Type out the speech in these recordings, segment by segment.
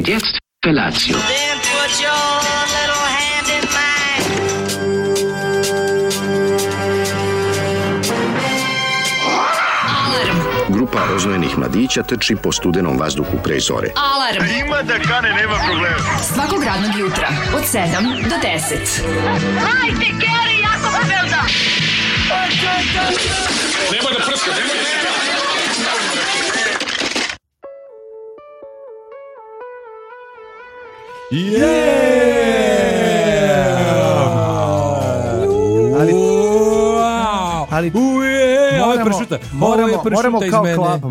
Und jetzt Felatio. Then put your little hand in mine. Grupa roznojenih mladića trči po studenom vazduhu pre zore. Alarm. Ima da kane, nema problema. Svakog radnog jutra od 7 do 10. Hajde, Geri, jako se velda. Nemoj da prska, nemoj da prska. Ali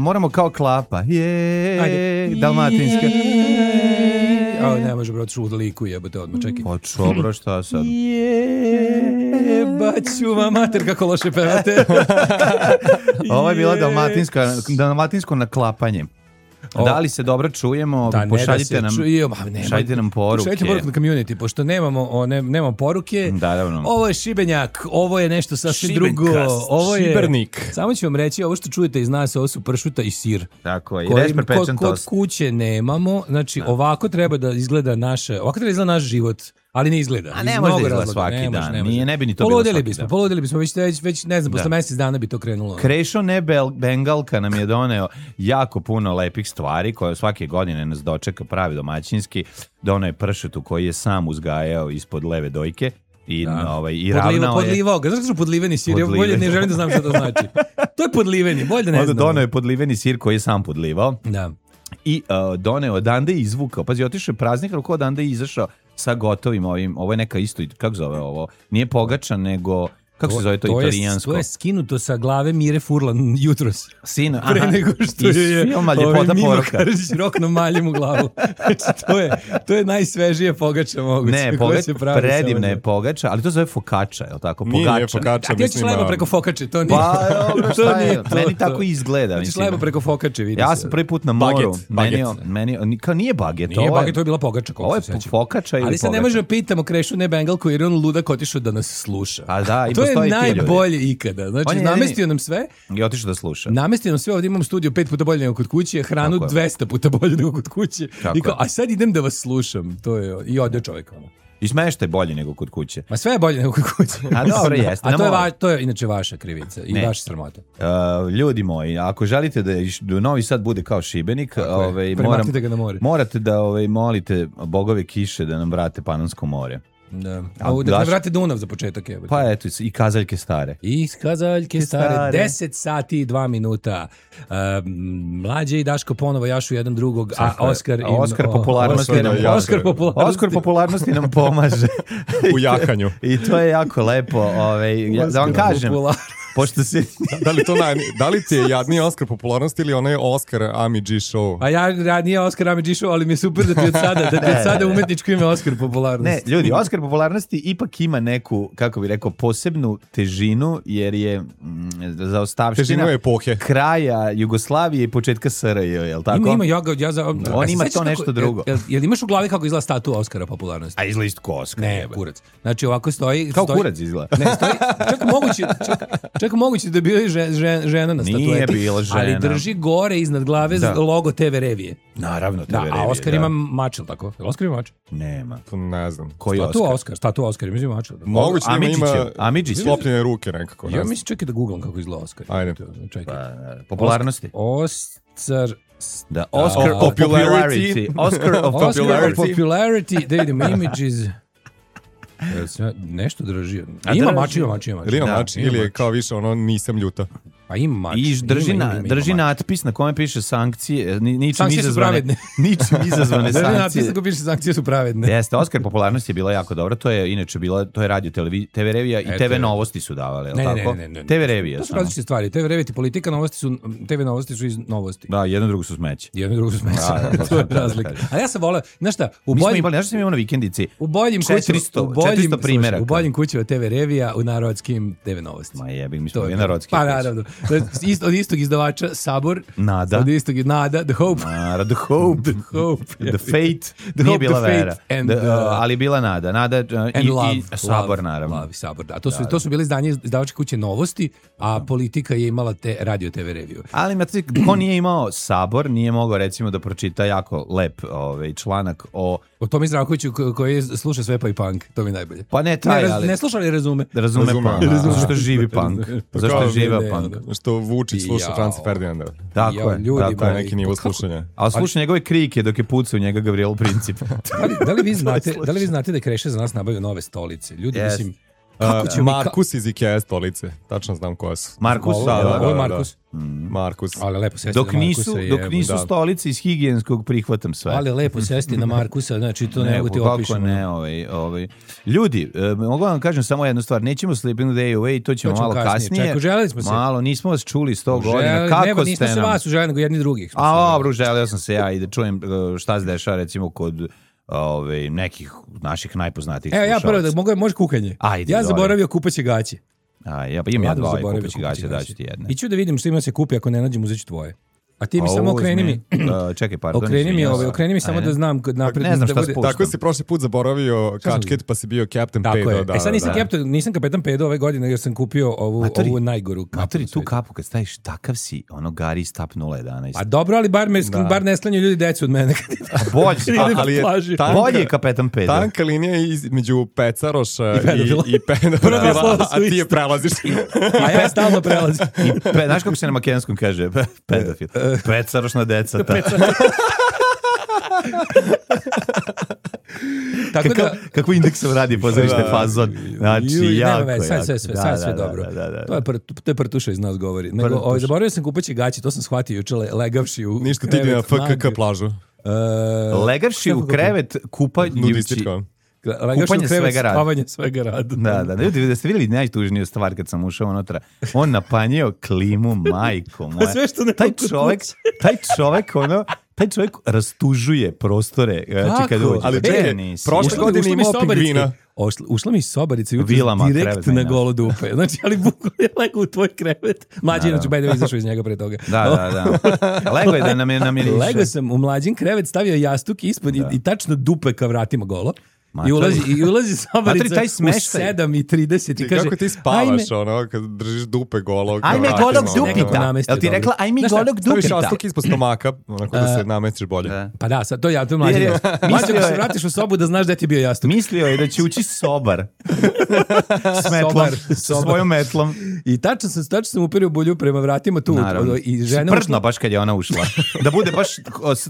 moramo kao klapa. Dalmatinska. Ne može, bro, otišu u liku, jebote, odmah, čekaj. Počo, bro, šta sad? Baću vam mater, kako loše pevate. Ovo je bila dalmatinsko naklapanje. Da li se dobro čujemo? Pošaljite nam poruke. Pošaljite poruke na community, pošto nemamo poruke. Naravno. Ovo je Šibenjak, ovo je nešto sasvim drugo. Ovo je Šibernik. Samo ću vam reći, ovo što čujete iz nas, ovo su pršuta i sir. Tako je, i resper pečen tost. Kod kuće nemamo, znači ovako treba da izgleda naš život. Ali ne izgleda. A ne može da izgleda svaki dan. Ne bi ni to bilo svaki dan. Poludeli bismo, već ne znam, posle mjesec dana bi to krenulo. Krešo Bengalka nam je doneo jako puno lepih stvari koje svake godine nas dočeka pravi domaćinski. Doneo je pršutu koji je sam uzgajao ispod leve dojke. I ravnao je. Podlivao ga. Znaš što podliveni sir? Bolje ne želim da znam što to znači. To je podliveni, bolje da ne znam. Doneo je podliveni sir koji je sam podlivao. Da. I doneo odande i izvukao. Pazi, otišao je praznik, ali ko odande je izašao sa gotovim ovim. Ovo je neka isto, kako zove ovo? Nije pogača, nego... Kako se zove to italijansko? To je skinuto sa glave Mire Furlan jutros. Sino, pre nego što je filma Ljepota Mino poruka. Karadžić rokno maljem u glavu. Znači, to je najsvežije pogača moguće. Ne, predivna je pogača, ali to zove fokača, je li tako? Nije fokača. A ti ćeš lebo preko fokače, to nije. Pa, šta je? Meni tako izgleda. Ti ćeš lebo preko fokače, vidi se. Ja sam prvi put na moru. Baget. Nije baget. Nije baget, to je bila pogača. Ovo je fokača ili pogača. Ali se ne može pitamo Krešu ne Bengalku jer on ludak otišao da nas sluša. A da, i to je najbolje ikada. Znači, namestio nam sve. I otišao da sluša. Namestio nam sve, ovdje imam studio 5 puta bolje nego kod kuće, hranu 200 puta bolje nego kod kuće. I kao, a sad idem da vas slušam. To je, i ode čovjek. I smeštaj bolje nego kod kuće. Ma sve je bolje nego kod kuće. A dobro, jeste. A to je inače vaša krivica i vaša sramota. Ljudi moji, ako želite da Novi Sad bude kao Šibenik, morate da molite bogove kiše da nam vrate Panonsko more. Da. Da ne vrate Dunav za početak. Pa eto, i kazaljke stare. I kazaljke stare. 10 sati i 2 minuta. Mlađe i Daško ponovo jašu jedan drugog, a Oskar popularnosti nam pomaže. U jahanju. I to je jako lepo. Da vam kažem. Pošto se... da li ti je jadniji Oskar popularnosti ili onaj Oskar Ami G show? A ja nije Oskar Ami G show, ali mi je super da ti od sada umetničko ime Oskar popularnosti. Ne, ljudi, Oskar popularnosti ipak ima neku, kako bih rekao, posebnu težinu, jer je zaostavština kraja Jugoslavije i početka SRJ, je li tako? On ima to nešto drugo. Jel imaš u glavi kako izgleda statua Oskara popularnosti? A izgleda isto ko Oskar. Ne, kurac. Znači ovako stoji... Kao kurac izgleda. Ne, stoji... Čak moguće da je bila žena na statueti. Nije bila žena. Ali drži gore iznad glave logo TV Revije. Naravno, TV Revije. A Oskar ima mačel, tako? Oskar ima mačel? Nema. To ne znam. Koji Oskar? Statua Oskar, ima mačel. Moguće ima slopljene ruke nekako. Ja mislim čekaj da googlam kako izgleda Oskar. Ajde. Popularnosti. Oscar of popularity. Oscar of popularity. Da vidimo images. Nešto drži. Ima mač. Ili ima mač, ili je kao više ono nisam ljuta. Pa ima mač. I drži natpis na kome piše sankcije, ničim izazvane sankcije. Drži natpis na kome piše sankcije su pravedne. Jeste, Oskar popularnosti je bila jako dobra, to je inače bilo, to je radio TV Revija i TV Novosti su davale, je li tako? Ne. TV Revija. To su različite stvari, TV Revija i politika, TV Novosti su iz Novosti. Da, jedno drugo su smeće. To je razlika. Ali ja sam voleo, znaš šta, znaš sam imao na vikendici, u boljim 400 primjeraka. U boljim kućima TV Revija, u narodskim TV Novosti. Ma jebik, mi smo narodski. Pa naravno. Od istog izdavača Sabor. Nada. Od istog Nada, The Hope. The Hope. The Fate. Nije bila Vera. Ali je bila Nada. Nada i Sabor, naravno. Love, Sabor, da. To su bili izdavačke kuće Novosti, a Politika je imala te radio TV review. Ali ko nije imao Sabor, nije mogao recimo da pročita jako lep članak o Tomi Zdravkoviću koji sluša sve pa i punk. To mi najbolje. Pa ne taj, ali... Ne sluša, ali razume. Razume punk. Zašto živi punk. Zašto živa punk. Što Vučić sluša Franca Ferdinanda. Tako je. To je neki nivo slušanja. A sluša njegove krike dok je pucao njega Gavrilo Princip. Da li vi znate da Kreše za nas nabavio nove stolice? Ljudi, mislim... Markus iz Ikea stolice. Tačno znam koja su. Markus? Ovo je Markus. Markus. Ali lepo sesti dok na Markusa. Dok nisu stolice iz higijenskog prihvatam sve. Ali lepo sesti na Markusa, znači to ne mogu ti opišem. Ljudi, mogu vam kažem samo jednu stvar, nećemo Sleeping Day Away, to ćemo malo kasnije. Čekaj, želeli smo se. Malo, nismo vas čuli 100 godina. Kako ste nam? Nismo se vas uželili, nego jedni drugih. Dobro, želeo sam se ja i da čujem šta se dešava recimo kod nekih naših najpoznatijih slušalaca. Ja prvo da može kukanje. Ja zaboravio kupaće gaće. Imam ja dva kupaće gaće, daću ti jedne. I ću da vidim što ima se kupi, ako ne nađem uzet ću tvoje. A ti mi samo okreni mi. Čekaj, pardon. Okreni mi samo da znam napred. Ne znam šta spuštam. Tako si prošli put zaboravio kačket pa si bio Captain Pedo. Sad nisam kapetan Pedo ove godine jer sam kupio ovu najgoru kapu. Maturi, tu kapu kad staviš takav si, ono Gari Stap 011. A dobro, ali bar ne slanju ljudi decu od mene. Bolje je kapetan Pedo. Tanka linija između Pecaroša i pedofila, a ti je prelaziš. A ja stalno prelazim. Znaš kako se na makedonskom kaže? Pedofil. Pecarošna deca. Kako Indeksom radi pozorište fazon. Znači, jako. Sad sve dobro. To je Prtuša iz nas govori. Zaboravio sam kupaći gaći, to sam shvatio juče legavši u krevet. Ništa ti ide na FKK plažu. Legavši u krevet kupajući. Kupanje svega rada. Spavanje svega rada. Da, ljudi, da ste vidjeli najtužniju stvar kad sam ušao unutra. On napanjio klimu, majko moja. Sve što ne taj čovjek rastužuje prostore. Kako? Ali prošle godine imao pingvina. Ušla mi iz sobarice direkt na golo dupe. Znači, ali bukvalno je lego u tvoj krevet. Mlađi, inače, bajde izašao iz njega pre toga. Da. Lego je da namiriše. Lego sam u mlađin krevet stavio jastuk ispod i tačno dupe ka vratima golo. I ulazi sobarica u 7:30 i kaže... Kako ti spavaš, kad držiš dupe golog? Ajme golog dupita. Jel ti rekla, ajme golog dupita? Staviš jastuk ispod stomaka, onako da se namestiš bolje. Pa da, sad to je mlađi. Mlađi da se vratiš u sobu da znaš gde ti je bio jastuk. Mislio je da će ući sobar. S metlom, sa svojom metlom. I tačno sam uperio bulju prema vratima tu. Pržno baš kad je ona ušla.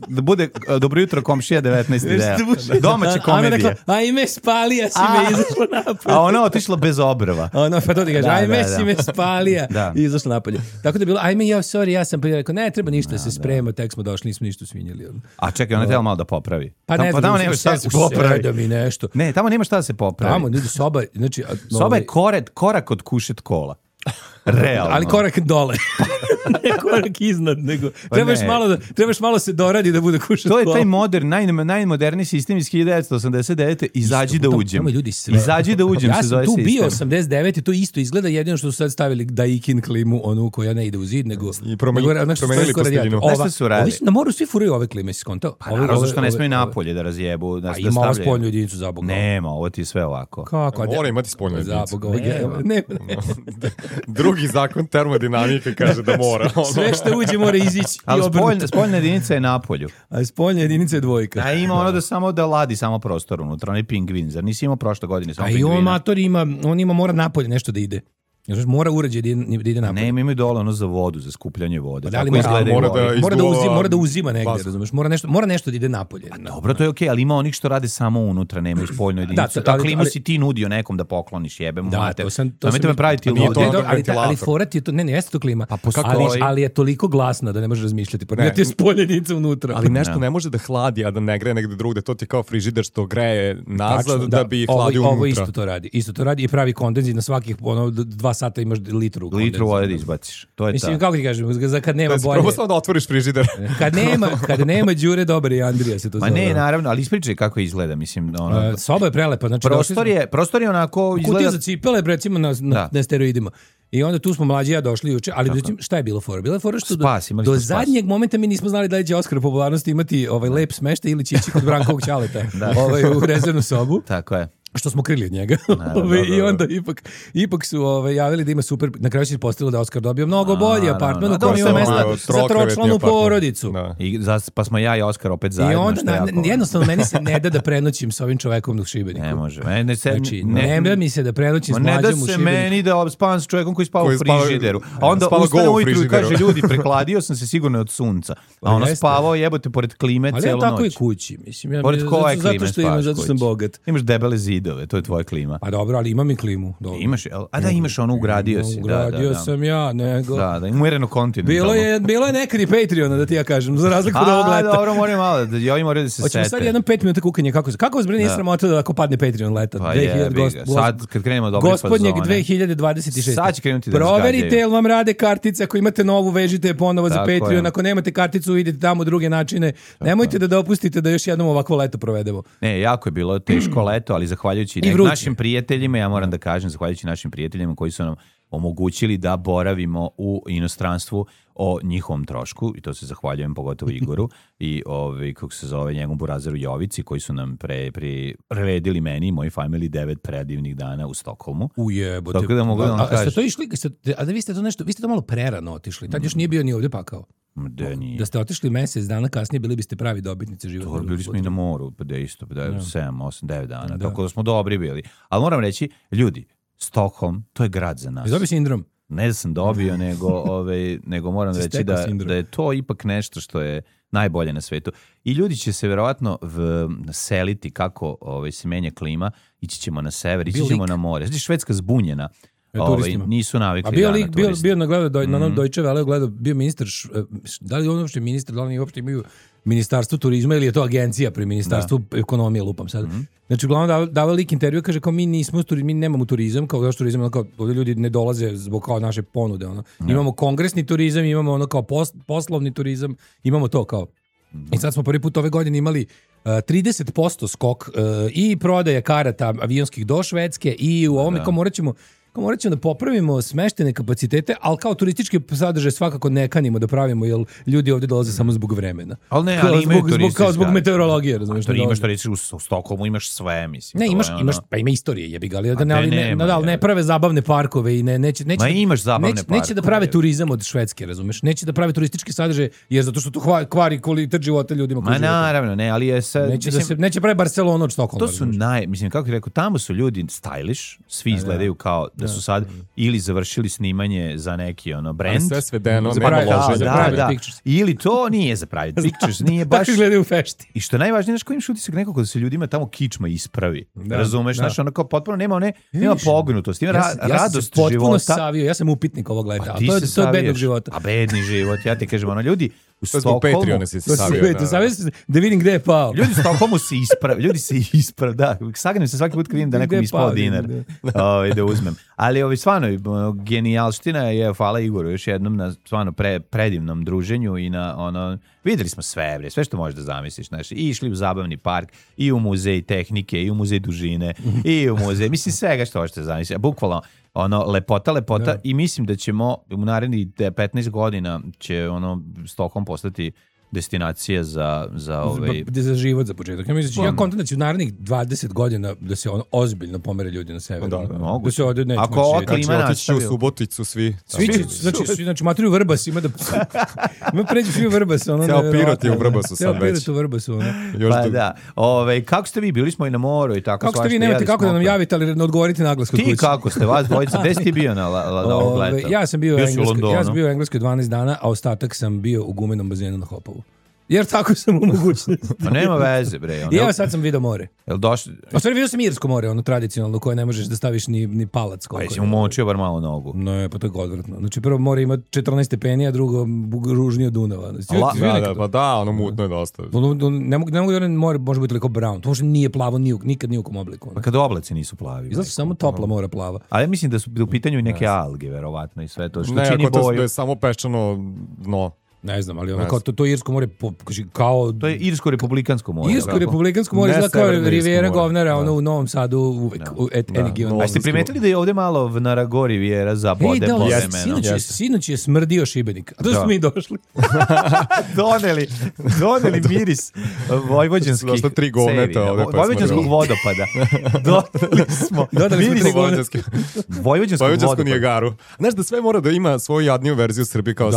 Da bude dobro jutro komšija 19 ideja. Domaće komedije. Ajme, spalija si me izašla napolje. A ona otišla bez obrva. Pa to ti kaže, ajme si me spalija i izašla napolje. Tako da je bilo, ajme, ja sam prije rekao, ne treba ništa se sprema, tek smo došli, nismo ništa svinjali. A čekaj, ona treba malo da popravi. Pa ne znam, nema šta da se popravi. Ne, tamo nema šta da se popravi. Tamo, ljudi, soba je korak od kušet kola. Realno. Ali korak dole. Ne korak iznad, nego trebaš malo se doradi da bude kušat kola. To je taj najmoderniji sistem iz 1989. Izađi da uđem. Izađi da uđem se zove sistem. Ja sam tu bio 89. i to isto izgleda, jedino što su sad stavili Daikin klimu, onu koja ne ide u zid, nego... I promenili posteljinu. Nešto su radili. Na moru svi furaju ove klime, si skontao? Pa naravno što ne smiju napolje da razjebu. Ima ovo spoljnu jedinicu za Boga. Nema, ovo ti je sve ovako. Kako? Mora imati spoljnu jedinicu. Drugi zakon termodinamike kaže da mora. Sve što uđe mora izići. Ali spoljna jedinica je napolju. A spoljna jedinica je dvojka. A ima ono da samo da ladi samo prostor unutra, onaj pingvin. Zar nisi imao prošle godine samo pingvina? A i on mator mora napolje nešto da ide. Mora uređaj da ide napolje. Ne, imaju dole ono za vodu, za skupljanje vode. Da, mora da uzima negdje, razumeš? Mora nešto da ide napolje. Dobro, to je okej, ali ima onih što rade samo unutra, nemaju spoljnu jedinicu. Da, klimu si ti nudio nekom da pokloniš, jebem mater. Namete me praviti ali fora ti je to, ne jeste to klima, ali je toliko glasna da ne možeš razmišljati. Ne ti je spoljenica unutra. Ali nešto ne može da hladi, a da ne greje negde drugde. To ti je kao frižider što greje nazad da bi hladio unutra. Ovo isto to radi i pravi kondenzit na svakih 2 sata imaš litru vode da izbaciš. To je mislim, kako ti kažem, kad nema bolje. Prvo samo da otvoriš frižider. Kad nema Đure Dobre i Andrija se to zove. Ma ne, naravno, ali ispričaj kako izgleda, mislim. Soba je prelepa. Znači, prostor je onako izgleda... Kutija za cipele, recimo na steroidima. I onda tu smo mlađi ja došli juče, ali šta je bilo fora? Bila je fora što do zadnjeg momenta mi nismo znali da li će Oskar popularnosti imati lep smeštaj ili će ići kod Brankovog ćaleta u rezervnu sobu. Tako je. Što smo krili od njega. I onda ipak su javili da ima super, na kraju se ispostavilo da Oskar dobio mnogo bolji apartman u kojem ima mesta za tročlanu porodicu. Pa smo ja i Oskar opet zajedno. I onda jednostavno meni se ne da prenoćim sa ovim čovekom u Šibeniku. Ne može. Ne da mi se da prenoćim s mlađom u Šibeniku. Ne da se meni da spavam s čovekom koji spava u frižideru. A onda ustane ujutru i kaže, ljudi, prekladio sam se sigurno od sunca. A ono spavao, jebote, pored klime celu noć. Ali ja tako i kući, mislim. Pored koje klime spavaš? Zato što sam bogat. Imaš debele zidove, to je tvoja klima. Pa dobro, ali imam i klimu. Dobro. Imaš, imaš ono, ugradio si. Ugradio sam ja, nego. Da, umereno kontinent. Bilo je nekad i Patreona, da ti ja kažem, za razliku od ovog leta. Dobro, moram malo, ovi moraju da se sete. Hoćemo sad jednom 5 minuta kukanje, kako vas bre nije sramota da ako padne Patreon leta? Pa sad, kad krenemo dobri fazone. Gospodnjeg 2026. Sad će krenuti da proverite, jel vam rade kartice, ako imate novu, vežite je ponovo za Patreon, ako nemate karticu, idete tamo druge načine. Nemojte da dopustite da još jednom ovakvo leto provedemo. Ne, jako je bilo teško leto, ali zahvaljujući našim prijateljima, ja moram da kažem, zahvaljujući našim prijateljima koji su nam omogućili da boravimo u inostranstvu o njihovom trošku, i to se zahvaljujem pogotovo Igoru i kako se zove njegovom burazeru Jovici, koji su nam priredili meni i moj family 9 predivnih dana u Stokholmu. Ujebote. Tako da mogu da vam kažem. A ste to išli, a da vi ste to malo prerano otišli, tad još nije bio ni ovdje pakao. Da ste otišli mesec dana kasnije, bili biste pravi dobitnici života. Bili smo i na moru, pa isto, 7, 8, 9 dana, tako da smo dobri bili. Ali moram reći, ljudi, Stockholm, to je grad za nas. Dobio sindrom? Ne da sam dobio, nego moram reći da je to ipak nešto što je najbolje na svetu. I ljudi će se verovatno seliti kako se menja klima, ići ćemo na sever, ići ćemo na more. Znači, Švedska zbunjena. Nisu navikli na turiste. Bio na onom Deutsche Welle, gledao, bio ministar, da li on uopšte ministar, da li oni uopšte imaju ministarstvo turizma ili je to agencija pri ministarstvu ekonomije, lupam sad. Znači, uglavnom dava lik intervju, kaže kao mi nemamo turizam, kao još turizam, kao ovdje ljudi ne dolaze zbog kao naše ponude, imamo kongresni turizam, imamo ono kao poslovni turizam, imamo to kao. I sad smo prvi put ove godine imali 30% skok i prodaje karata avionskih do Švedske i u ovome kao morat ćemo da popravimo smeštene kapacitete, ali kao turistički sadržaj svakako ne kanimo da pravimo, jer ljudi ovdje dolaze samo zbog vremena. Ali imaju turistički. Kao zbog meteorologije, razumiješ? Imaš turistički u Stokholmu, imaš sve, mislim. Ne, pa ima istorije, jebi ga, ali ne prave zabavne parkove i neće da prave turizam od Švedske, razumiješ? Neće da prave turistički sadržaj, jer zato što to kvari kvalitet života ljudima. Ma naravno, ne, ali je sad... Neće prave Barcelonu od Stokholma. To su mislim, kako ti rekao, tamo su ljudi stylish, svi izgledaju kao da su sad ili završili snimanje za neki brand. Sve svedeno, ili to nije za private pictures, nije baš... Tako gledaju u fešti. I što najvažnije, znaš, kojim utisak nekako da se ljudima tamo kičma ispravi. Razumeš, znaš, ono kao potpuno nema pognutost, ima radost života. Ja sam upitnik ovog leta, to je bednog života. A bedni život, ja ti kažem, ljudi u Stockholmu... Patreona si savio. Da vidim gde je pao. Ljudi u Stockholmu se isprave, da. Sagnem se svaki put kad vidim da nekom ispao dinar da uzmem. Ali stvarno, genijalština je, hvala Igoru još jednom na stvarno predivnom druženju i na videli smo sve što možeš da zamisliš, znaš, i išli u zabavni park, i u muzej tehnike, i u muzej dužine, i u muzej, mislim svega što možete zamisliti, bukvalno lepota i mislim da ćemo u narednih 15 godina će Stockholm postati destinacija za život za početak. Ja kontam da će u narednih 20 godina da se ozbiljno pomere ljudi na severu. Da se ovdje neće moći. Ako klima otići u Suboticu svi. Znači Matri u Vrbas ima da... Ima pređu svi u Vrbas. Ceo Pirot je u Vrbasu sad već. Ceo Pirot u Vrbasu. Pa da. Kako ste vi? Bili smo i na moru i tako. Kako ste vi? Nemate kako da nam javite, ali ne odgovorite naglas kod kuće. Ti kako ste? Vas dvojica? Gde si ti bio na ovog leta? Ja sam bio u Engleskoj 12 dana, a ostatak sam bio u gumenom bazenu na Hopovu. Jer tako sam u mogućnosti. Pa nema veze, bre. I evo sad sam vidio more. Jel došli? A stvari vidio sam irsko more, tradicionalno, koje ne možeš da staviš ni palac. Pa jesi umočio bar malo nogu. Ne, pa to je odvratno. Znači prvo more ima 14 stepeni, a drugo ružnije od Dunava. Mutno je dosta. Ne mogu da more može biti toliko brown. To možda nije plavo nikad ni u kom obliku. Pa kad oblaci nisu plavi. Izgleda su samo topla mora plava. Ali ja mislim da su u pitanju i neke alge, verovatno, i sve to. Ne, ako to je samo peščano dno. Ne znam, ali ono to Irsko more kao... To je Irsko-republikansko more. Irsko-republikansko more izgleda kao Rivijera Govnara, ono u Novom Sadu uvek. A ste primetili da je ovde malo na Rago Rivijera za bode po vremenu? Sinoć je smrdio Šibenik. A to smo mi došli. Doneli miris vojvođanskih vojvođanskog vodopada. Dodali smo 3 govnetske. Vojvođansku Nijagaru. Znaš da sve mora da ima svoju jadniju verziju Srbije kao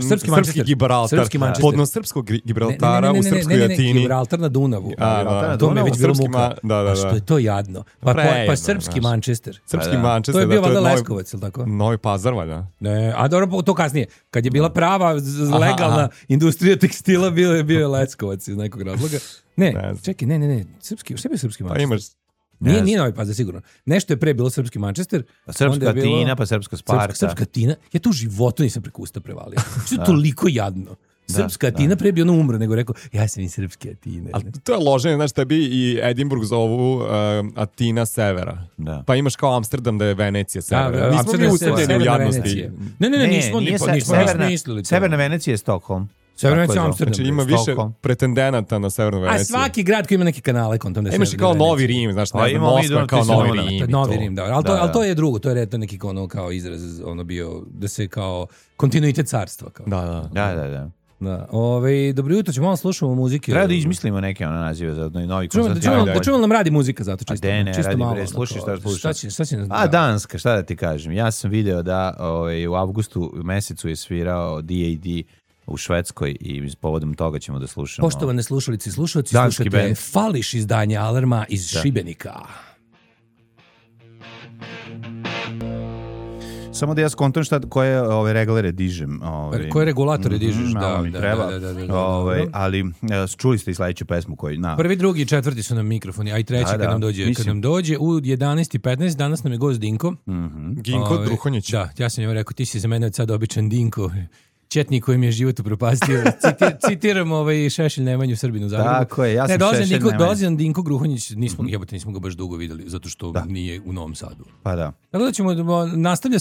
srpski Gibraltar. Podno srpskog Gibraltara u srpskoj Atini. Gibraltar na Dunavu. To mi je već bilo muka. A što je to jadno? Pa srpski Manchester. Srpski Manchester. To je bio valjda Leskovac, ili tako? Novi Pazar, valjda. A dobro, to kasnije. Kad je bila prava legalna industrija tekstila, bio je Leskovac iz nekog razloga. Čekaj, ne. Srpski, šta je srpski Manchester? Nije Novi Pazar, sigurno. Nešto je pre bilo srpski Manchester. Pa srpska Atina, pa srpska Sparta. Srpska Atina. Ja to u životu nisam preko usta prevalio. Što je toliko jadno. Srpska Atina pre bi ono umro, nego rekao, ja sam i srpske Atine. Ali to je loženje, znaš, tebi i Edinburgh zovu Atina severa. Pa imaš kao Amsterdam da je Venecija severa. Nismo mi usedljeni u jadnosti. Ne, nismo mislili. Severna Venecija je Stockholm. Severna Venecija Amsterdam. Znači ima više pretendenata na Severnu Veneciju. A svaki grad koji ima neke kanale kontam. Imaš i kao Novi Rim, znaš, Moskva kao Novi Rim. Novi Rim, da. Ali to je drugo, to je neki kao izraz, ono bio, da se kao kontinuitet carstva. Da. Dobro jutro, ćemo malo slušamo muzike. Treba da izmislimo neke nazive za novi koncert. Da čujemo nam radi muzika zato čisto. Čisto malo. Slušaj šta slušaš. Danska, šta da ti kažem. Ja sam video da u avgustu mesecu je svirao D.A.D. u Švedskoj i povodom toga ćemo da slušamo. Poštovane slušalice i slušalci, slušate Fališ izdanje Alarma iz Šibenika. Samo da ja skontam koje reglere dižem. Koje regulatore dižeš, da. Ali čuli ste i sledeću pesmu koju... Prvi, drugi i četvrti su nam mikrofoni, a i treći kad nam dođe u 11:15, danas nam je gost Dinko. Dinko Druhonjić. Da, ja sam njemu rekao, ti si za mene od sada običan Dinko. Četnik koji mi je život upropastio. Citiram Šešelj Nemanju Srbinu u Zagrebu. Tako je, ja sam Šešelj Nemanju. Dolazim Dinko Gruhonjić, nismo ga baš dugo videli, zato što nije u Novom Sadu. Pa da. Tako da ćemo, nastavlja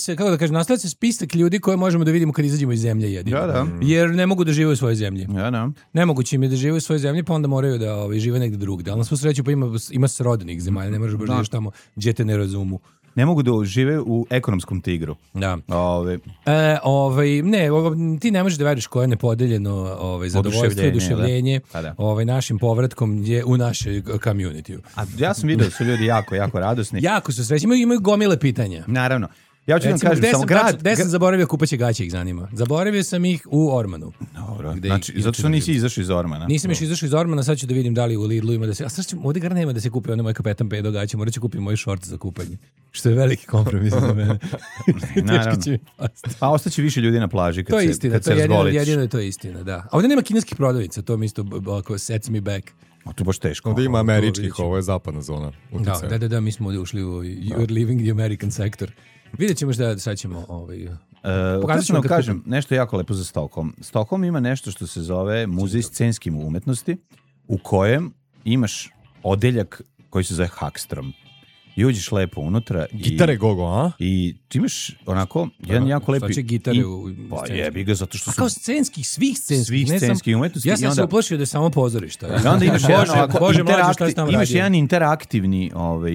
se spisak ljudi koje možemo da vidimo kad izađemo iz zemlje jedino. Da. Jer ne mogu da žive u svojoj zemlji. Da. Nemoguće im je da žive u svojoj zemlji, pa onda moraju da žive negde drugde. Ali na svu sreću pa ima srodnih zemalja, ne možeš baš živiš tamo gdje te ne razumu. Ne mogu da žive u ekonomskom tigru. Da. Ti ne možeš da veriš koje je nepodeljeno zadovoljstvo i oduševljenje našim povratkom u našoj community. A ja sam vidio da su ljudi jako radosni. Jako su srećni, imaju gomile pitanja. Naravno. Ja ću vam kažem, samo grad... Gde sam zaboravio kupaće gaće, ih zanima. Zaboravio sam ih u Ormanu. Dobro, znači, zato što nisi izašao iz Ormana. Nisam još izašao iz Ormana, sad ću da vidim da li u Lidlu ima da se... A sad ću, ovdje gar nema da se kupi onaj moj Kapetan Pedo gaće, morat ću kupiti moj šort za kupanje. Što je veliki kompromis za mene. Naravno. A ostaće više ljudi na plaži kad se razgoliš. Jedino je to istina, da. A ovdje nema kineskih prodavnica, to mi isto sets me back. A to baš teško. Ovdje ima američkih, ovo je zapadna zona. Da, mi smo ovdje ušli u You're Leaving the American Sector. Vidjet ćemo šta sad ćemo... Pokazat ću vam kažem nešto jako lepo za Stockholm. Stockholm ima nešto što se zove Muzej scenske umetnosti, u kojem imaš odeljak koji se zove Hagstrom. I uđeš lepo unutra. Gitare gogo, a? I ti imaš onako jedan jako lepi... Svače gitare u... Pa jebi ga, zato što su... A kao scenskih, svih scenskih umetnosti. Ja sam se uplašio da je samo pozorišta. I onda imaš jedan interaktivni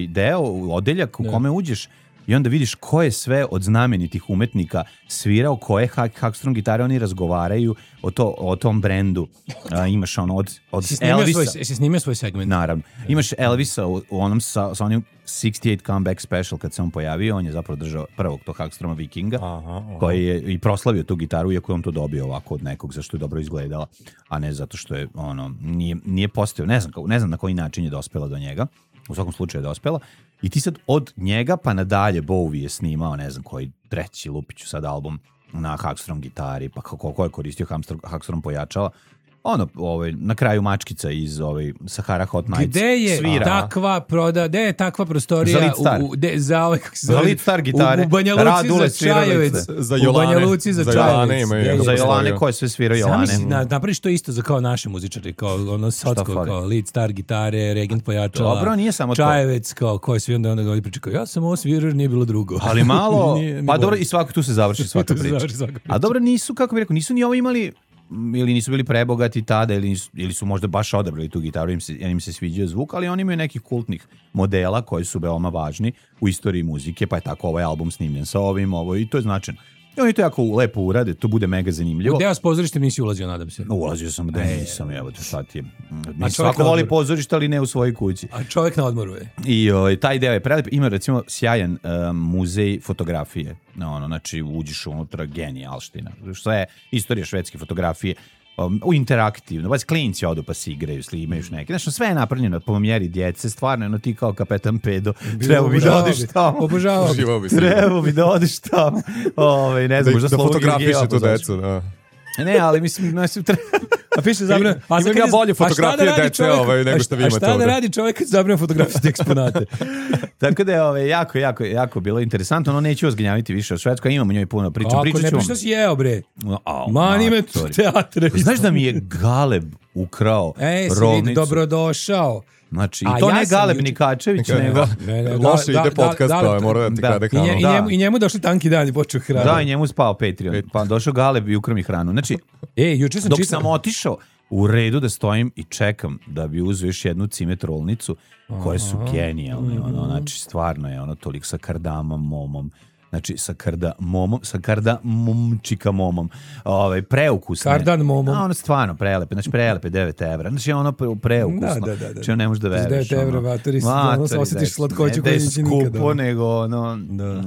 deo, odeljak u kome uđeš i onda vidiš ko je sve od znamenitih umetnika svirao, koje Hagstrom gitare, oni razgovaraju o tom brendu. Imaš od Elvisa. Jesi snimio svoj segment? Naravno. Imaš Elvisa u onom sa onim 68 comeback special kad se on pojavio, on je zapravo držao prvog tog Hagstroma Vikinga, koji je i proslavio tu gitaru, iako je on to dobio ovako od nekog, zašto je dobro izgledala, a ne zato što je nije postao, ne znam na koji način je dospela do njega. U svakom slučaju je dospela. I ti sad od njega pa nadalje Bowie je snimao, ne znam koji treći, lupiću sad album na Hagstrom gitari, pa ko je koristio Hagstrom pojačala. Na kraju mačkica iz Sahara Hot Nights svira. Gde je takva prostorija za Lidstar gitare, u Banja Luci za Čajevec, u Banja Luci za Čajevec, za Jolane, ko je sve svirao Jolane. Napraviš to isto za kao naši muzičari, kao Socko, kao Lidstar gitare, Regent pojačala. Dobro, nije samo to. Čajevec, kao ko je svi onda ga priča, kao ja sam ovo svirao, nije bilo drugo. Ali malo, pa dobro, i svako tu se završi svaka priča. A dobro, nisu, kako bih rekao, nisu ni ovo imali ili nisu bili prebogati tada ili su možda baš odabrali tu gitaru, im se sviđao zvuk, ali oni imaju nekih kultnih modela koji su veoma važni u istoriji muzike, pa je tako ovaj album snimljen sa ovim, i to je značajno. I oni to jako lepo urade, to bude mega zanimljivo. Gde vas pozorište nisi ulazio, nadam se? Ulazio sam, da nisam, evo te šta ti je. Svako voli pozorište, ali ne u svojoj kući. A čovjek na odmoru je. I taj deo je prelep. Ima recimo sjajan muzej fotografije. Znači uđeš unutra, genijalština. Što je istorija švedske fotografije. U interaktivno, baš klinci odu pa si igraju, imaju neke. Znači, sve je napravljeno po mjeri djece, stvarno, ti kao kapetan Pedo, treba bi da odeš tamo. Obožavao bi. Treba bi da odeš tamo. Ne znam, možda da fotografiše tu decu, da. Ne, ali mislim, a piše zabranjeno. Imam ja bolje fotografije deče nego što vi imate. A šta da radi čovjek kad zabranjeno fotografijski eksponate? Tako da je jako bilo interesantno, neću vas gnjaviti više o Švedskoj, imamo njoj puno priča. Ako ne priča si jeo, bre. Mani me teatre. Znaš da mi je Galeb ukrao rovnicu? Dobrodošao. Znači, i to ne Galeb Nikačević, nego... Loše ide podcast, mora da ti kada hranu. I njemu došli tanki dan i počeo hranu. Da, i njemu spao Patreon. Pa došao Galeb i ukrao mi hranu. Znači, juče sam dok sam otišao, u redu da stojim i čekam da bi uzeo još jednu cimetrolnicu, koje su genijalne. Znači, stvarno je toliko sa kardamom, znači sa kardamomčika momom, preukusne. Kardan momom. Ono stvarno prelepe, znači prelepe 9 evra. Znači ono preukusno. Da. Znači ne možeš da veruješ. 9 evra, vateri, osjetiš slatkoću koju neće nikada. Ne skupo, nego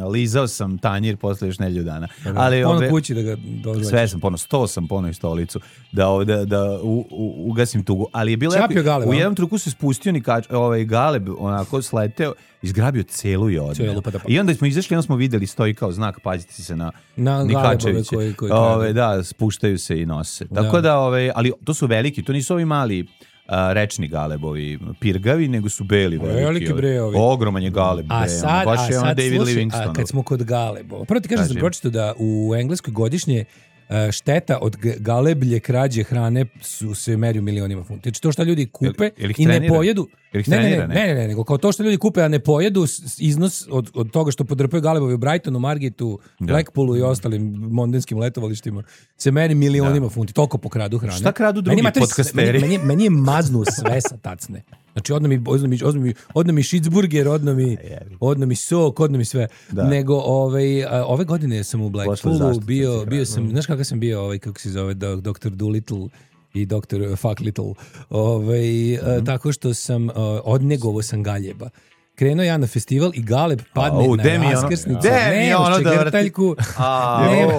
lizao sam tanjir posle još nedelju dana. Pono kući da ga dozvaćeš. Sve sam stao sam pono i stolicu da ugasim tugu. Ali je bilo u jednom truku se spustio Galeb, onako sleteo, izgrabio celu i odneo. I onda smo izašli, onda smo videli, stoji kao znak, pazite se na Nikačeviće. Da, spuštaju se i nose. Tako da, ali to su veliki, to nisu ovi mali rečni galebovi, pirgavi, nego su beli veliki. Ogroman je galeb. Baš je David Livingstone. A kad smo kod galebova, prvo ti kažem, sam pročitao da u Engleskoj godišnje šteta od galeblje krađe hrane se meri u milionima funti. Znači to što ljudi kupe i ne pojedu. Ne, nego kao to što ljudi kupe, a ne pojedu, iznos od toga što podrpaju galebovi u Brightonu, Margitu, Blackpoolu i ostalim londonskim letovalištima se meri milionima funti. Toliko pokradu hrane. Šta kradu drugi podcasteri? Meni je maznu sve sa tacne. Znači, odno mi šicburger, odno mi sok, odno mi sve. Nego, ove godine sam u Blackpoolu bio sam, znaš kakav sam bio, kako se zove, Dr. Dolittle i Dr. Fuck Little, tako što sam, odnegovo sam galjeba. Krenuo ja na festival i Galeb padne na raskrsnicu. Nemaš čegrtaljku.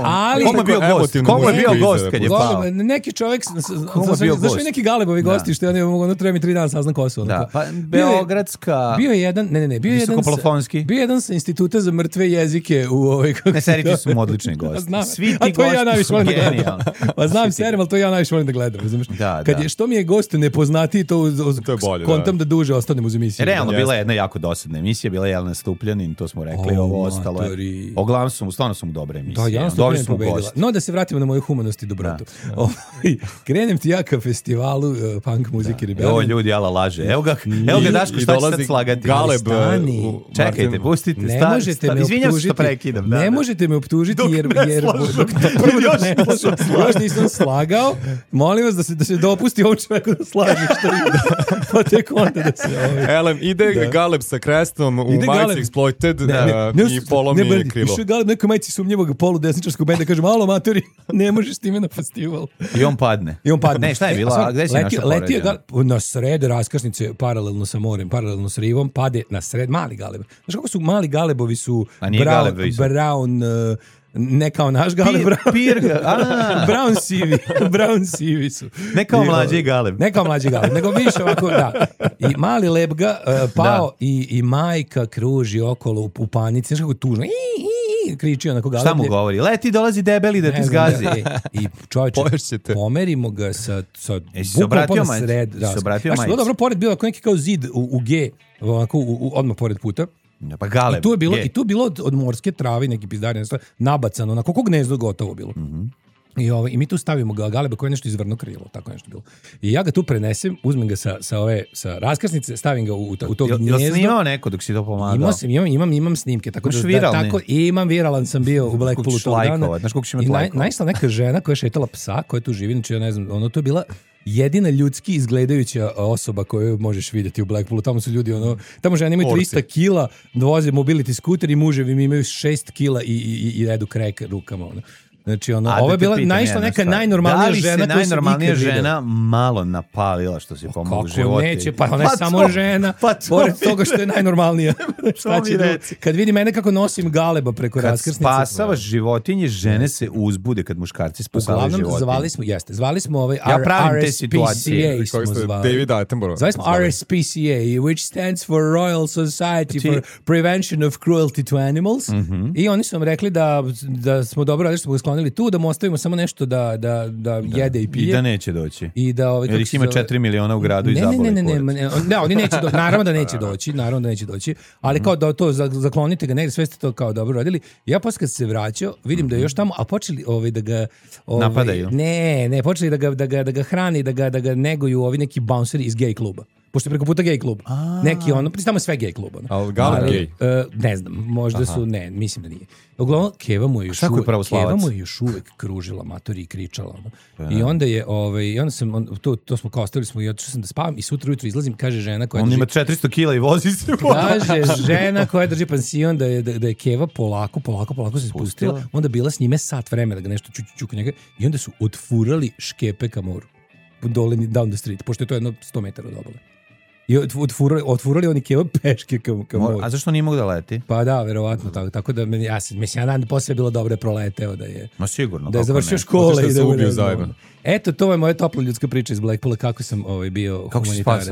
Ali... Komu je bio gost kad je pao? Neki čovjek... Zašto je neki Galebovi gosti što ja ne mogu, treba mi 3 dana saznam ko su. Beogradska... Bio je jedan... Visokoplofonski. Bio je jedan sa Instituta za mrtve jezike u Ne, seriti su odlični gosti. Svi ti gosti su genijalni. Pa znam serem, ali to ja najviše volim da gledam. Što mi je gost nepoznatiji, to kontam da duže ostanem uz emisiju. Realno, bila je jedna jako dosadna emisija, bila je Jelena Stupljanin, to smo rekli, ovo ostalo je. Oglavnom stvarno su mu dobre emisije. Da, Jelena Stupljanin pobedila. No, da se vratimo na moju humanost i dobrotu. Krenem ti ja ka festivalu punk muzike Rebellion. Ovo ljudi, jala laže. Evo ga Daško, šta će sad slagati? Galeb. Čekajte, pustite. Izvinjam se što prekidam. Ne možete me optužiti jer još nisam slagao. Molim vas da se dopusti ovom čoveku da slaže što ide. Pa tek onda da se... Elem, ide Galeb sa krestom u majici Exploited i polomi krilo. Išao je Galeb nekoj majici sumnjivog poludesničarskog benda, kaže, malo amatori, ne možeš s time na festival. I on padne. Ne, šta je bilo? Gde si našao poređenje? Na sred raskrsnice, paralelno sa morem, paralelno s rivom, pade na sred mali Galeb. Znaš kako su mali Galebovi su brown... Ne kao naš Galeb, brown sivi su. Ne kao mlađi Galeb. Ne kao mlađi Galeb, nego više ovako, da. I mali Lebga pao i majka kruži okolo u panici, znaš kako je tužno. Kriči onako Galeb. Šta mu govori? Leti, dolazi debeli da ti zgazi. I čovječe, pomerimo ga sa obratio sred. Znaš, dobro, pored bilo neki kao zid u G, onako odmah pored puta. Pa Galeb. I tu je bilo od morske trave neki pizdari nabacano, na koliko gnezdo gotovo bilo. I mi tu stavimo galeba koji je nešto izvrno krilo, tako nešto bilo. I ja ga tu prenesem, uzmem ga sa raskrsnice, stavim ga u to gnjezdo. Jel snimao neko dok si to pomagao? Imam snimke, tako viralni? Imam viralan sam bio u Blackpoolu tog dana. Znaš koliko će imati lajkova? Naišla neka žena koja je šetala psa, koja tu živi, znači ja ne znam, to je bila jedina ljudski izgledajuća osoba koju možeš vidjeti u Blackpoolu. Tamo su ljudi, tamo žene imaju 300 kila, voze mobility skuter i muževi imaju 6 kila i jedu krek rukama, Znači, ovo je bila naišla neka najnormalnija žena koja se najnormalnija žena malo napalila što si pomogao životinji? Kako neće, pa ona je samo žena, pored toga što je najnormalnija. Šta će kad vidi mene kako nosim galeba preko raskrsnice. Kad spasavaš životinje, žene se uzbude kad muškarci spasavaju životinje. Uglavnom, zvali smo ovaj RSPCA. David Attenborough. Zvali smo RSPCA, which stands for Royal Society for Prevention of Cruelty to Animals. I oni su nam rekli da smo dobro radili, što smo ga sklonili tu, da mu ostavimo samo nešto da jede i pije. I da neće doći. I da jer ih ima 4 miliona u gradu i zabole. Ne, oni neće doći. Naravno da neće doći. Ali kao da to zaklonite ga negdje, sve ste to kao dobro radili. Ja posle kad se vraćao, vidim da je još tamo, a počeli da ga napadaju. Ne, počeli da ga hrani, da ga neguju ovi neki bounceri iz gay kluba. Pošto je preko puta gay klub. Neki tamo je sve gay klub. Ali Galeb gay? Ne znam, možda su, ne, mislim da nije. Uglavnom, Keva mu je još uvek kružila matori i kričala. I onda je, i onda sam, to smo kao ostavili smo i otišao sam da spavam i sutra ujutro izlazim, kaže žena koja on ima 400 kila i vozi se. Kaže žena koja drži pansion da je Keva polako se spustila, onda bila s njime sat vremena da ga nešto čuku njega i onda su otfurali škepe ka moru. Dole down the street, pošto je to jedno 100 metara od obale. I otfurali oni Keva peške ka moru. A zašto nije mogu da leti? Pa da, verovatno tako da ja dan posle je bilo dobro proleteo da je. Ma sigurno. Da je završio škole i da ubio zajedno. Eto, to je moja topla ljudska priča iz Blackpoola, kako sam bio kako humanitarac.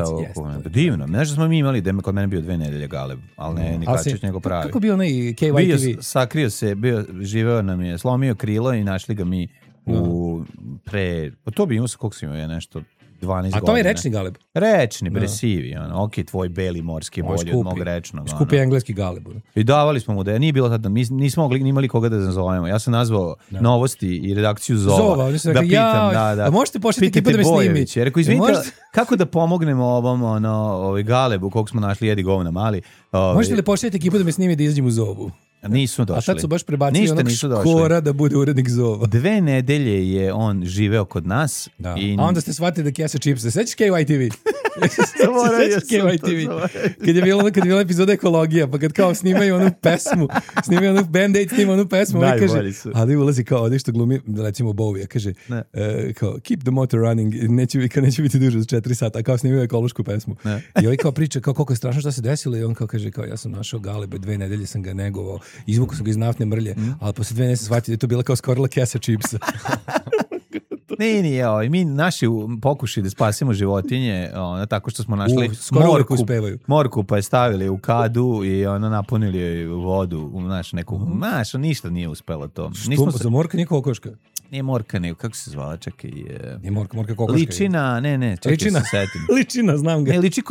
Divno. Znaš da smo mi imali, kod mene bio 2 nedelje Galeb, ali ne Nikačić nego pravi. Kako bio onaj KYTV? Sakrio se, živeo nam je, slomio krilo i našli ga mi to bi imao koliko sam imao nešto 12 godina. A to je rečni Galeb? Rečni, bresivi. Ok, tvoj beli morski bolji od mog rečnog. Skupi engleski Galeb. I davali smo mu da nije bilo tada, nismo imali koga da nazovemo. Ja sam nazvao Novosti i redakciju Zova. Da pitam, da. A možete pošljati ekipu da me snimi? Rekao, izvinite, kako da pomognemo ovom Galebu, kog smo našli, jedi govna mali. Možete li pošljati ekipu da me snimi da izađem u Zovu? Nisu došli. A sad su baš prebacili onog Škora da bude urednik Zova. 2 nedelje je on živeo kod nas. Da. A onda ste shvatili da kesa čipse. Sećaš KYTV? Kad je bila epizoda ekologija, pa kad kao snimaju onu pesmu, Band-Aid snima onu pesmu, on kaže, ali ulazi kao ovdje što glumi, recimo Bowie, kaže, kao, keep the motor running, neće biti duže za 4 sata, kao snimaju ekološku pesmu. I ovaj kao priča, kao koliko je strašno šta se desilo, i on kao kaže, kao ja sam našao Galebe, 2 nedelje sam ga negovao, izvukao sam ga iz naftne mrlje, ali posle 2 nedelje sam shvatio da je to bila kao skorila kesa čipsa. Nije, mi naši pokušali da spasimo životinje, tako što smo našli morku, pa je stavili u kadu i napunili joj vodu, ništa nije uspelo to. Za morka nije kokoška? Nije morka, nego, kako se zvala, čekaj. Nije morka kokoška. Ličina, ne, čekaj se setim. Ličina, znam ga. Ne, liči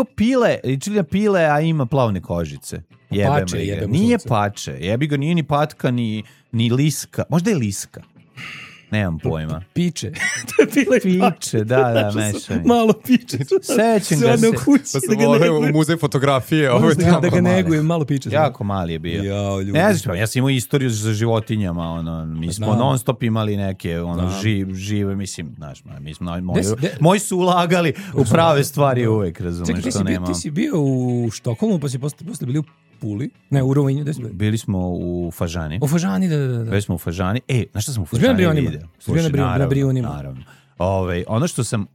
pile, a ima plavne kožice. Pače, nije pače, jebi ga, nije ni patka, ni liska, možda je liska. Nemam pojma. Piče. Piče, da, mešaj. Malo piče. Sećam ga se. Pa sam u muzej fotografije. Da ga negujem, malo piče. Jako mali je bio. Ne znam, ja sam imao istoriju za životinjama. Mi smo non stop imali neke žive, mislim, znaš, moji su ulagali u prave stvari uvek, razumeš, što nemam. Ti si bio u Štokholmu, pa si posle bili u Puli, ne, u Rovinju, gde smo bili? Bili smo u Fažani. U Fažani, da. Bili smo u Fažani. Znaš šta sam u Fažani vidio? Na Brijunima. Naravno. Ono što sam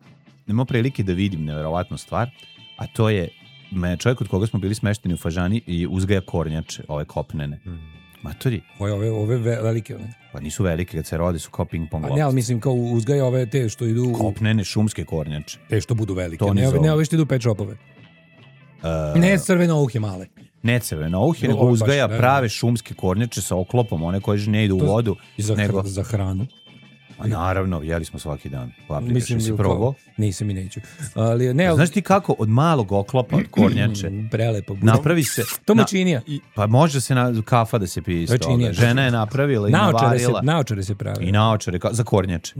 imao prilike da vidim, neverovatnu stvar, a to je čovjek od koga smo bili smešteni u Fažani i uzgaja kornjače, ove kopnene. Matori. Ove velike, one? Pa nisu velike, kad se rode su kao ping-pong loptice. Ne, ali mislim kao uzgaja ove te što idu... Kopnene šumske kornjače. Te što budu velike, ne ove što idu u pet shopove. Ne crvenouhe male. Ne crvenouhe, nego uzgaja prave šumske kornjače sa oklopom, one koje ne idu u vodu. Za hranu. A naravno, jeli smo svaki dan. Mislim, si probao? Nisam i neću. Ali, ne, znaš ti kako od malog oklopa, od kornjače, prelepo. Napravi se... To mučinija. Pa može se kafa da se pije iz toga. Žena je napravila i navarila. Naočare se pravi. I naočare, za kornjače.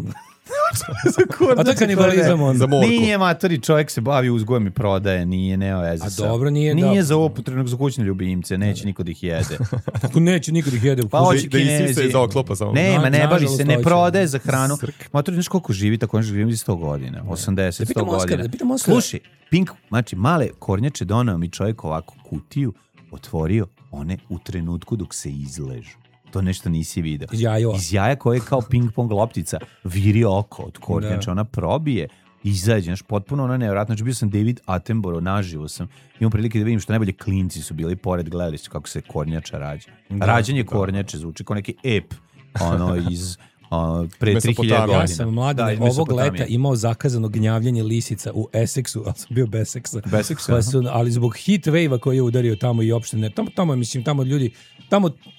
A to je kanibalizam onda. Nije matori, čovjek se bavi uzgojem i prodaje, nije neoveze sa. A dobro, nije. Nije za upotrebu za kućne ljubimce, neće niko da ih jede. Kako neće niko da ih jede? Pa hoće Kinezi. Da isi se iz oklopa samo. Ne bavi se, ne prodaje za hranu. Matori, znaš koliko živi, tako živi 100 godina, 80, 100 godina. Slušaj, Pink, znači male kornjače donao mi čovjek ovako kutiju, otvorio one u trenutku dok se izležu. To nešto nisi vidio. Iz jaja koje je kao ping-pong loptica viri oko od kornjača, ona probije, izađe, znaš, potpuno ona nevjerojatno. Znači bio sam David Attenborough, naživo sam. Imam prilike da vidim što najbolje klinci su bili pored, gledali su kako se kornjača rađa. Rađanje kornjače zvuči kao neki ep, iz... pre 3000 godina. Ja sam mladan ovog leta imao zakazano gnjavljanje lisica u Essexu, ali sam bio bez seksa. Ali zbog heat wave-a koji je udario tamo i opštine, tamo ljudi,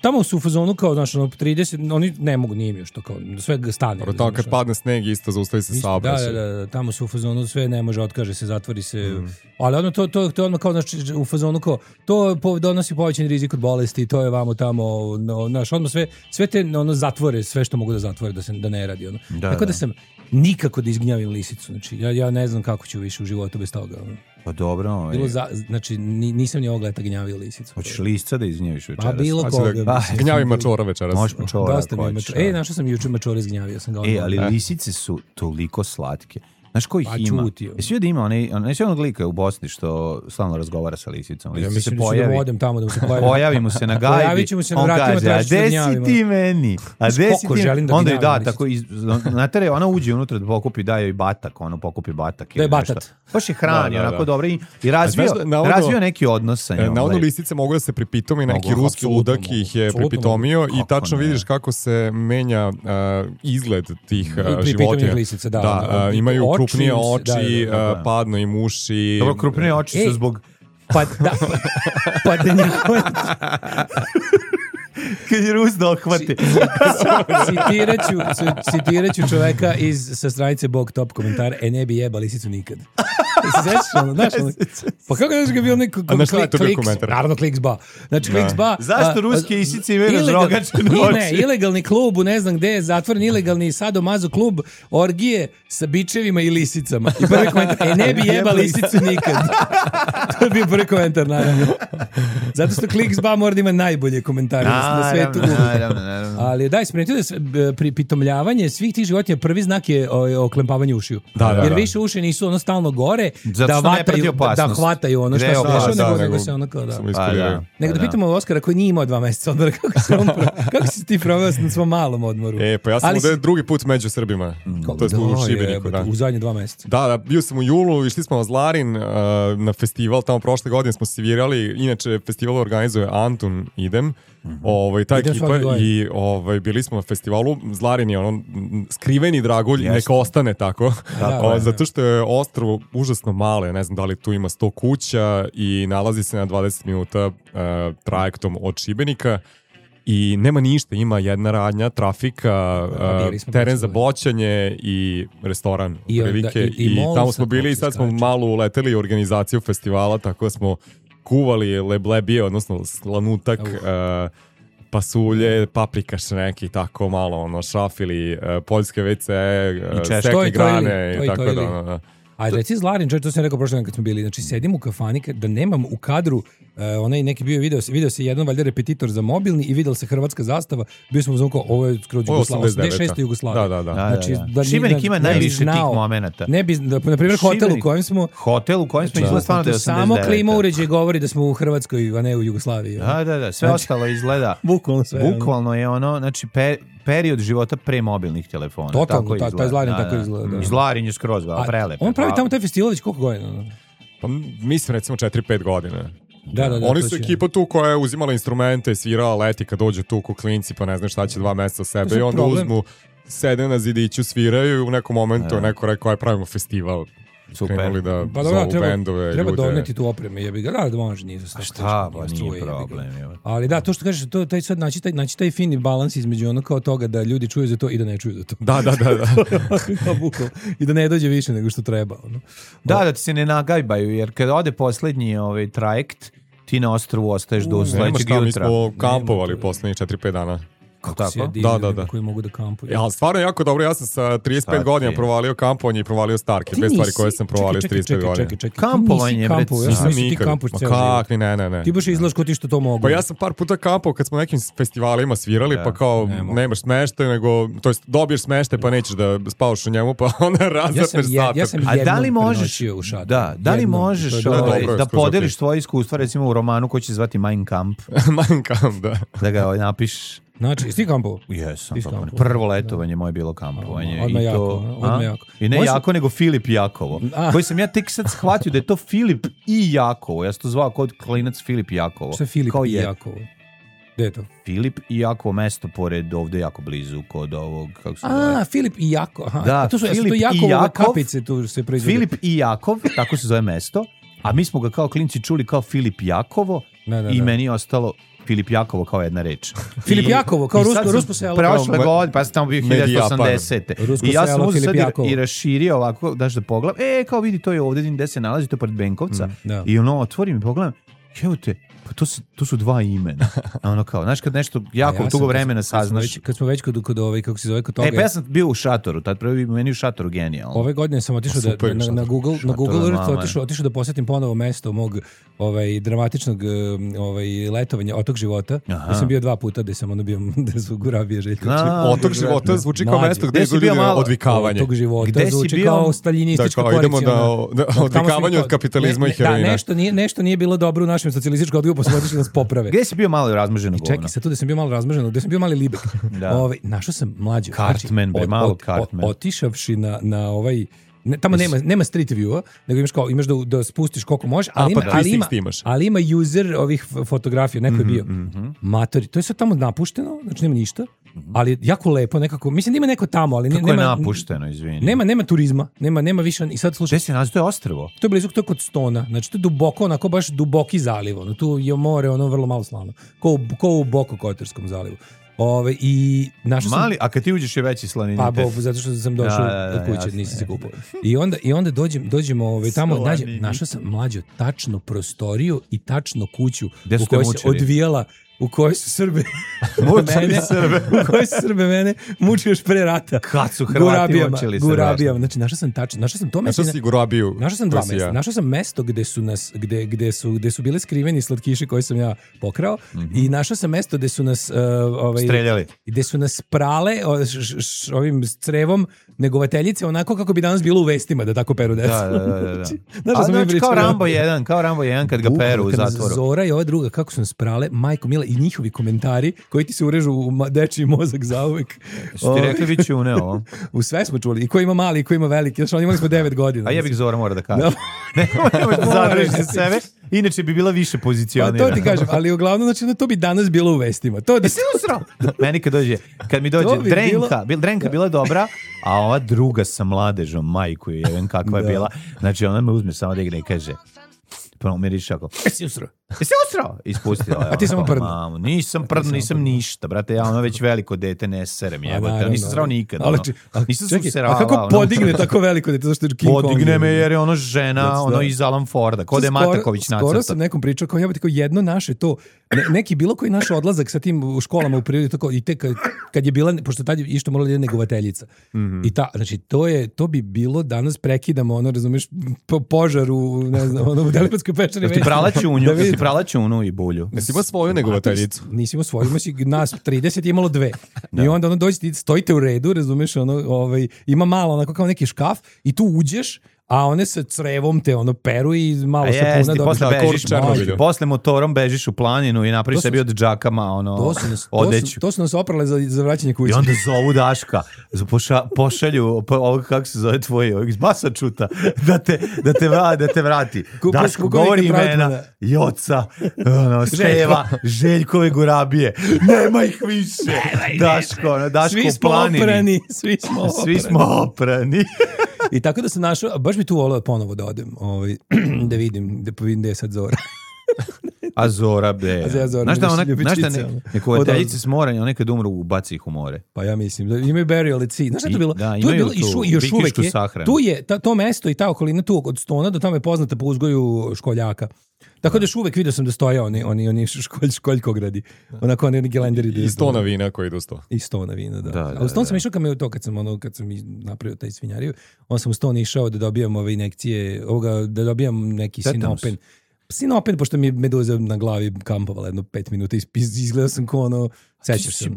tamo su u fazonu kao, znaš, 30, oni ne mogu, nije mi još to kao, sve stane. Tamo kad padne sneg isto zaustavi se saobraćaj. Da, tamo su u fazonu, sve ne može, otkaže se, zatvori se, ali ono to je odmah kao, znači, u fazonu kao, to donosi povećan rizik od bolesti, to je vamo tamo, znaš, odmah sve te zatvore, sve što mogu da zatvore, da ne radi ono. Tako da sam nikako da izgnjavim lisicu. Znači, ja ne znam kako ću više u životu bez toga. Pa dobro. Znači, nisam ni ovog leta gnjavio lisicu. Hoćeš lisca da izgnjaviš večeras? Pa bilo koga. Gnjavi mačora večeras. Možeš mačora ako hoćeš. Našao sam juče mačora izgnjavio. Ali lisice su toliko slatke. Znaš ko ih ima? Jesi vidio da ima neće onog lika u Bosni što stalno razgovara sa lisicom? Ja mislim da ću da odem tamo da mu se pojavi. Pojavi mu se na gajbi. Pojavit ćemo se na vratima tražiti da gnjavimo. A gde si ti meni? Onda joj da, tako, znate, ona uđe unutra da pokupi, daje joj batak, ono pokupi batak. Da je batat. Baš je hrani, onako dobro i razvio neki odnos sa njom. Na ono lisice mogu da se pripitomi, neki ruski ludak ih je pripitomio i tačno vidiš kako se menja izgled tih životinja. Da, imaju krupnije oči, padno im uši. Dobro, krupnije oči su zbog... Kad je Rus da ohvati. Citiraću čoveka sa stranice Bog Top komentara, ne bi jeba lisicu nikad. Se sećaš ono, znaš ono? Pa kako znaš ga bio neko kliks? Naravno kliks ba. Znači kliks ba. Zašto ruske isice imaju razrogačene oči? Ne, ilegalni klub u ne znam gde je zatvoren, ilegalni sadomazo klub, orgije sa bičevima i lisicama. I prvi komentar, ne bi jeba lisicu nikad. To je bio prvi komentar, naravno. Zato što kliks ba mora da ima najbolje komentare na svetu. Naravno. Ali daj, sprijetio da pripitomljavanje svih tih životinja, prvi znak je oklempavanje ušiju. Jer više uši nisu ono stalno gore, da hvataju ono što se dešava, nego se ono kao da. Nego da pitamo Oskara koji nije imao 2 meseca odmora, kako si ti proveo na svom malom odmoru? Pa ja sam ovdje drugi put među Srbima, to je u Šibeniku. U zadnje 2 meseca. Da, bio sam u julu, išli smo na Zlarin na festival, tamo prošle godine smo svirali, inače festival organizuje Antun Idem, ta ekipa i bili smo na festivalu. Zlarin je ono skriveni dragulj, neka ostane tako, zato što je ostrvo užasno malo, ja ne znam da li tu ima 100 kuća i nalazi se na 20 minuta trajektom od Šibenika i nema ništa, ima jedna radnja, trafika, teren za boćanje i restoran i tamo smo bili i sad smo malo uleteli u organizaciju festivala, tako da smo kuvali leblebije, odnosno slanutak, pasulje, paprikaš neki, tako malo, šrafili, poljske WC, stekli grane i tako da. Ajde, reci Zlarin, to sam rekao prošle dan kad smo bili, znači sedim u kafani, da nemam u kadru, onaj neki bio video se jedan valjda repetitor za mobilni i vidjela se hrvatska zastava, bio smo uzmano kao, ovo je skroz Jugoslavija, 86. Jugoslavija. Da. Šibenik ima najviše tih momenata. Na primjer, hotel u kojem smo izgleda stvarno da je 89. Samo klima uređaj govori da smo u Hrvatskoj, a ne u Jugoslaviji. Da, sve ostalo izgleda. Bukvalno je ono, znači period života pre mobilnih telefona. Totalno, taj Zlarin tako izgleda. Zlarin je skroz prelep. On pravi tamo taj festival već koliko godina? Pa mislim recimo 4-5 godina. Da, oni su ekipa tu koja je uzimala instrumente, svirala, leti kad dođu tu ko klinci, pa ne znam šta će 2 meseca sebe i onda uzmu, sede na zidiću, sviraju i u nekom momentu neko rekao aj pravimo festival. krenuli da pa zovu bendove, treba ljude. Doneti tu opreme, jebi ga. Da može, nije za šta, šta, pa nije problem. Ali da, to što kažeš, to taj sad naći taj fini balans između ono kao toga da ljudi čuju za to i da ne čuju za to. Da. I da ne dođe više nego što treba. Ono. Da ti se ne nagajbaju, jer kad ode poslednji trajekt, ti na ostrovu ostaješ do sledećeg jutra. Mi smo kampovali poslednjih 4-5 dana. Kako si da. Koji mogu da kampuju. Ja, stvarno jako dobro, ja sam sa 35 godina provalio kampovanje i provalio starke. Dve stvari koje sam provalio s 35 godina. Čekaj. Kampovanje, nisam nikad. Kak, ne. Ti baš izlaš ko ti što to mogu. Pa ja sam par puta kampao kad smo na nekim festivalima svirali, pa kao nemaš smeštaj, nego, to jest dobiješ smeštaj pa nećeš da spavaš u njemu, pa onda razapneš zatok. Ja sam jednom prenoćio u šatoru. Da li možeš da podeliš tvoje iskustva, recimo u romanu koji će zvati Mein Kampf? Mein Kampf, da. Da ga napišeš. Znači, jesi ti kampovao? Jesam. Prvo letovanje moje bilo kampovanje. Odmah jako. I ne jako, nego Filip Jakovo. Koji sam ja tek sad shvatio da je to Filip i Jakovo. Ja sam to zvao kod klinac Filip Jakovo. Što je Filip i Jakovo? Gde je to? Filip i Jakovo, mesto pored ovde jako blizu kod ovog, kako se zove? Filip i Jakov. Da, to su Jakovove kapice tu se proizvode. Filip i Jakov, tako se zove mesto. A mi smo ga kao klinci čuli kao Filip Jakovo i meni je ostalo Filip Jakovo kao jedna reč. Filip Jakovo, kao rusko selo. Prošle godine, pa sam tamo bio 1980. I ja sam uzeo sad i raširio ovako, daš da pogledam, kao vidi, to je ovdje gdje se nalazi, to je pored Benkovca. I otvorim i pogledam, evo te, pa to su dva imena. A ono kao, znaš kad nešto jako dugo vremena saznaš. Kad smo već kod ovaj, kako se zove, kod toga. Pa ja sam bio u šatoru, tad prvi meni u šatoru genijalno. Ove godine sam otišao na Google Earth, otišao da posjetim ponovo mesto mog dramatičnog letovanja, Otok života. Ja sam bio 2 puta gde sam bio, gde su Gurabije Željko. Otok života zvuči kao mesto gde su ljudi odvikavanje. Otok života zvuči kao staljinistička koalicija. Idemo da odvikavanje od kapitalizma i heroina. Da, nešto nije bilo dobro u našem socijalističkom odgoju, pa smo otišli nas poprave. Gde si bio malo razmaženo govno? Čekaj, sad tu gde sam bio malo razmaženo, gde sam bio mali libek. Našao sam mlađe. Cartman, malo Cartman. Otišavši na ovaj... Tamo nema street view-a, nego imaš da spustiš koliko možeš, ali ima user ovih fotografija, neko je bio. Matori, to je sad tamo napušteno, znači nema ništa, ali jako lepo nekako, mislim da ima neko tamo, ali kako nema... Kako je napušteno, izvini? Nema turizma, nema više, i sad slušaj... Gde se nalazi, to je ostrvo? To je blizu, to je kod Stona, znači to je duboko, onako baš duboki zaliv, tu je more, vrlo malo slano, ko u Bokokotorskom zalivu. I mali, a kad ti uđeš je veći slaninitet. Pa zato što sam došao od kuće, nisam se kupao. I onda dođemo tamo, našao sam mlađo tačno prostoriju i tačno kuću u kojoj se odvijala, u kojoj su Srbe mene mučili još pre rata. Kad su Hrvati mučili Gurabijama. Znači, našao sam to mesto. Našao si Gurabiju. Našao sam 2 mesta. Našao sam mesto gde su bile skriveni slatkiši koje sam ja pokrao i našao sam mesto gde su nas streljali. Gde su nas prale ovim crevom negovateljice, onako kako bi danas bilo u vestima da tako peru decu. Da. Znači, kao Rambo 1 kad ga peru u zatvoru. Zora i ova druga, kako su nas prale, majko mila, i njihovi komentari koji ti se urežu u dečiji mozak zauvek. Su ti rekli vi ćune ovo? U sve smo čuli. I ko ima mali, i ko ima veliki. Znači, imali smo 9 godina. A jebik Zora mora da kaže. Nemoj da zadržiš za sebe. Inače bi bila više pozicionirana. Pa to ti kažem, ali uglavnom, znači, to bi danas bilo u vestima. To da se usrao. Meni kad mi dođe Drenka bila dobra, a ova druga sa mladežom, majku je, kakva je bila. Znači, ona me uzme samo da igra i kaže, prvo mi riši ako, jesi usrao? Ispustila. A ti samo prdno? Nisam ništa, brate, ja već veliko dete ne serem, jebote, nisam srao nikad. Nisam se userala. A kako podigne tako veliko dete, zašto je King Kong? Podigne me jer je ono žena, iz Alan Forda, kod je Mataković nacrta. Skoro sam nekom pričao, kao jebote, kao jedno naše to, neki bilo koji naš odlazak sa tim u školama u prirodi, i te kad je bila, pošto tad je išto morala da je negovateljica. I znači, to bi bilo, danas prekidamo, razumeš, požar u, ne znam, u Delipatskoj pečari. Ti prala čunu i bulju. Nisi imao svoju negovateljicu? Nisi imao svoju, imaš nas 30 je imalo 2. I onda dođete, stojite u redu, razumeš, ima malo, onako kao neki škaf i tu uđeš, a one sa crevom te peru i malo sapuna dobiš. Posle motorom bežiš u planinu i napraviš sebi od džakama odeću. To su nas oprale za vraćanje kuće. I onda zovu Daška, pošalju ovog, kako se zove tvoj, iz Masačuta, da te vrati. Daško govori imena, Joca, Steva, Željkove Gurabije. Nema ih više. Daško u planini. Svi smo oprani. I tako da sam našao, baš bi tu volao ponovo da odem, da vidim da je sad Zora. A Zora, be. Znaš da neko voditeljice s mora, oni kad umru ubaci ih u more. Pa ja mislim, da imaju burial at sea. Znaš šta je to bilo? Da, to je bilo i još uvek je. Tu je to mesto i ta okolina tu od Stona do tamo je poznata po uzgoju školjaka. Tako da još uvek vidio sam da stoje oni školjkogradi. Onako oni gelenderi. I Stona vina koji idu u Sto. I Stona vina, da. A u Ston sam išao kad sam napravio taj svinjariju, on sam u Ston išao da dobijam ove injekcije, da dobijam neki sinopen. Sinopen, pošto mi je meduza na glavi kampovala jedno 5 minuta, izgledao sam ko ono, sećaš se.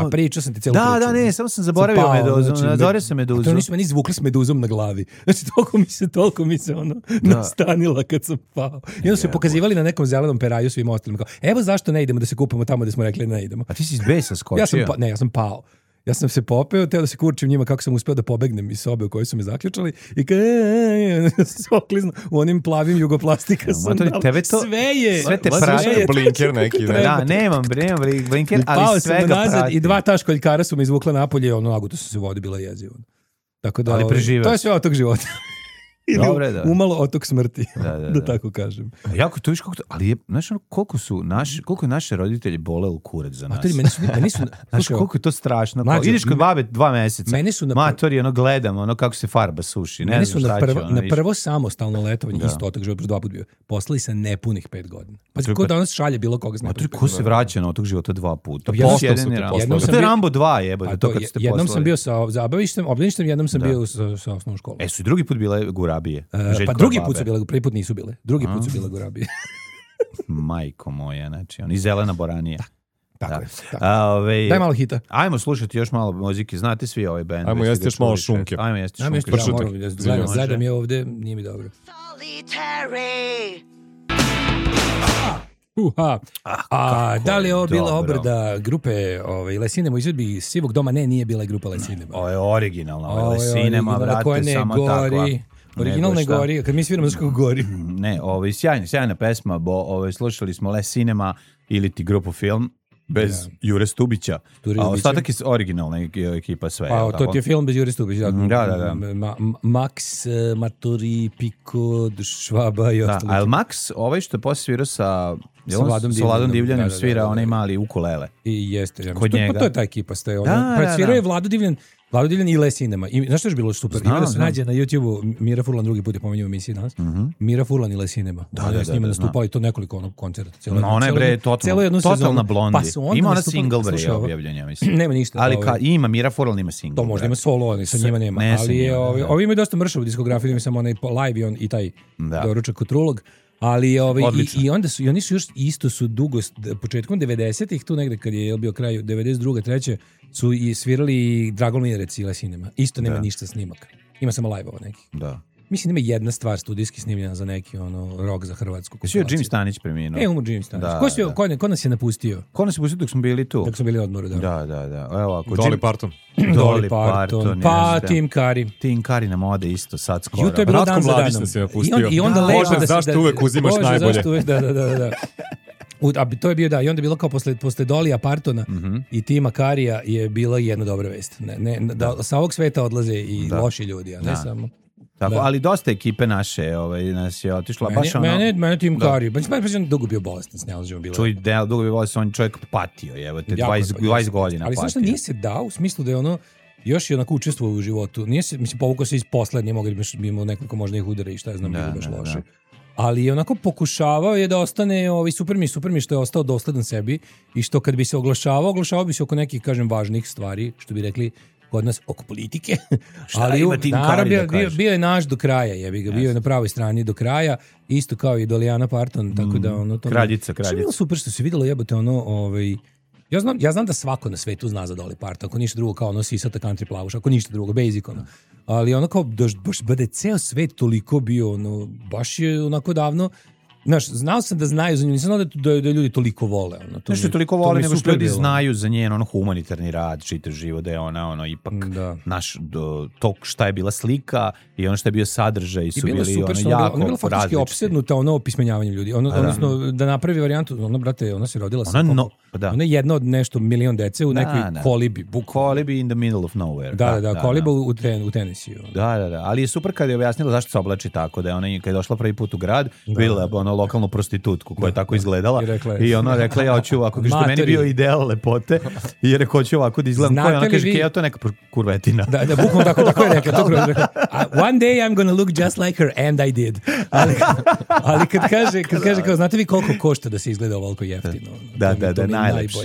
A pričao sam ti celu priču. Da, ne, samo sam zaboravio meduzu, nazorio sam meduzu. To nisu meni izvukli s meduzom na glavi. Znači, toliko mi se nastanila kad sam pao. I onda su pokazivali na nekom zelenom peraju svim ostalim. Evo zašto ne idemo da se kupamo tamo da smo rekli ne idemo. A ti si iz besa skočio? Ja sam pao. Ja sam se popeo, teo da se kurčim njima kako sam uspeo da pobegnem iz sobe u kojoj su me zaključali i oklizno u onim plavim jugoplastika sandalama. Sve te prati. Blinker neki. Da, nemam blinker, ali svega prati. I 2 ta školjkara su me izvukla napolje, naguto su se vodi, bila jezivo. Tako da, ali preživeo. To je sve od tog života. Dobre, da. Umalo otok smrti, da tako kažem. Jako to viš ali je, znaš koliko je naše roditelji bole u kurac za nas. Meni su znaš koliko je to strašno. Ideš kod babe 2 meseca. Matori, gledam, kako se farba suši. Meni su na prvo samostalno letovanje, isto otok života 2 puta bio, poslali sa nepunih 5 godina. Pa ko danas šalje bilo koga zna. Ko se vraća na otok života 2 puta? To je Rambo 2 jebote. Jednom sam bio sa zabavištem, jednom sam bio sa osnovnom školom. Su i drugi put bile gurabije. Pa drugi put su bile, prvi put nisu bile. Drugi put su bile gurabije. Majko moja, znači, i zelena boranija. Tako je. Daj malo hita. Ajmo slušati još malo muzike. Znate svi ovaj band. Ajmo jesti još malo šunke. Ajmo jesti šunke. Gledam je ovde, nije mi dobro. Solitary. Da li je ovo bila obrada grupe Lesinema u izvedbi Sivog doma? Ne, nije bila grupa Lesinema. Ovo je originalna. Lesinema, brate, samo tako. Originalne gori, kad mi sviramo zašto gori. Ne, sjajna pesma, slušali smo Lesinema ili ti grupu Film bez Jure Stubića. A ostatak je originalna ekipa sve. Pa to ti je film bez Jure Stubića. Da. Max, Matori, Piko, Švaba i ostalo. A Max, što je posle svirao sa Vladom Divljanom, svira onaj mali ukulele. I jeste. To je ta ekipa. Svirao je Vlado Divljan i Lesinema. I znaš što je bilo super? Ima da se nađe na YouTube-u Mira Furlan, drugi put je pomenio u emisiji danas. Mira Furlan i Lesinema. Da, s njima nastupao i to nekoliko koncerta. Ona je bre totalna blondi. Ima ona single bre objavljenja, mislim. Nema ništa. Ali ima Mira Furlan ima single. To možda ima solo, ali sa njima nema. Ali ovi imaju dosta mršavu diskografiju, ima samo onaj live i taj doručak Kotrulog. Ali i onda su, i oni su još isto su dugo, početkom 90-ih, tu negde kad je bio kraj 92. 3. su i svirali Drago Mirec i Lesinema. Isto nema ništa snimaka. Ima samo live-ova nekih. Da. Mislim, ima jedna stvar studijski snimljena za neki rock za hrvatsku. Svi je Jim Stanić preminuo. Umro Jim Stanić. Ko nas je napustio? Ko nas je napustio dok smo bili tu? Dok smo bili odmoru, da. Da. Evo, Dolly Parton. Dolly Parton. Pa Tim Curry. Tim Curry nam ode isto sad skoro. Jutro je bilo dan za danom. I onda lepo da se... Zašto uvek uzimaš najbolje? Da. To je bio i onda je bilo kao posle Dolija Partona i Tima Karija je bila jedna dobra vest. Da sa ovog sveta odlaze i loši ljudi, a ne samo... Tako, ali dosta ekipe naše nas je otišla. Mene Tim Curry, pa dugo bio bolestan, snalažemo bilo. Dugo bio bolestan, on čovjek patio, 20 godina ali patio. Ali znaš nije se dao, u smislu da je još je onako učestvovao u životu. Nije se, povukao se iz posla, nije mogao da imao nekoliko možda ih udara i šta je znam, bilo baš loše. Ali je onako pokušavao je da ostane super mi što je ostao dosledan sebi i što kad bi se oglašavao bi se oko nekih, kažem, važnih stvari, što bi rekli kod nas oko politike. Ali bio je naš do kraja, bio je na pravoj strani do kraja, isto kao i Dolijana Parton, tako da kraljica. Što je bilo super što se vidjelo jebote ja znam da svako na svetu zna za Dolly Parton, ako ništa drugo kao sisata country plavuš, ako ništa drugo, basic ali kao baš da je ceo svet toliko bio, baš je onako davno znaš, znao sam da znaju za nju, nisam znao da ljudi toliko vole. Nešto toliko vole, nego što ljudi znaju za njen humanitarni rad, čitav život, da je ona ipak naš, to šta je bila slika i ono šta je bio sadržaj su bili jako različiti. Ona je bila faktički opsednuta opismenjavanjem ljudi. Odnosno, da napravi varijantu, brate, ona se rodila sa ona je jedna od nešto milion dece u nekoj kolibi. Kolibi in the middle of nowhere. Da, koliba u Tennessee. Da, ali je super kad je objasnila zašto se oblači tako, da je ona kad je došla prvi put u grad, vidjela lokalnu prostitutku koja je tako izgledala i ona rekla, ja hoću ovako, kaže, meni bio ideal lepote i je rekao, hoću ovako da izgledam koja, ona kaže, ja to neka kurvetina. Da, bukvalno tako je rekla. One day I'm gonna look just like her, and I did. Ali kad kaže, kao, znate vi koliko košta da se izgleda ovoliko jeftino? Da, najlepše.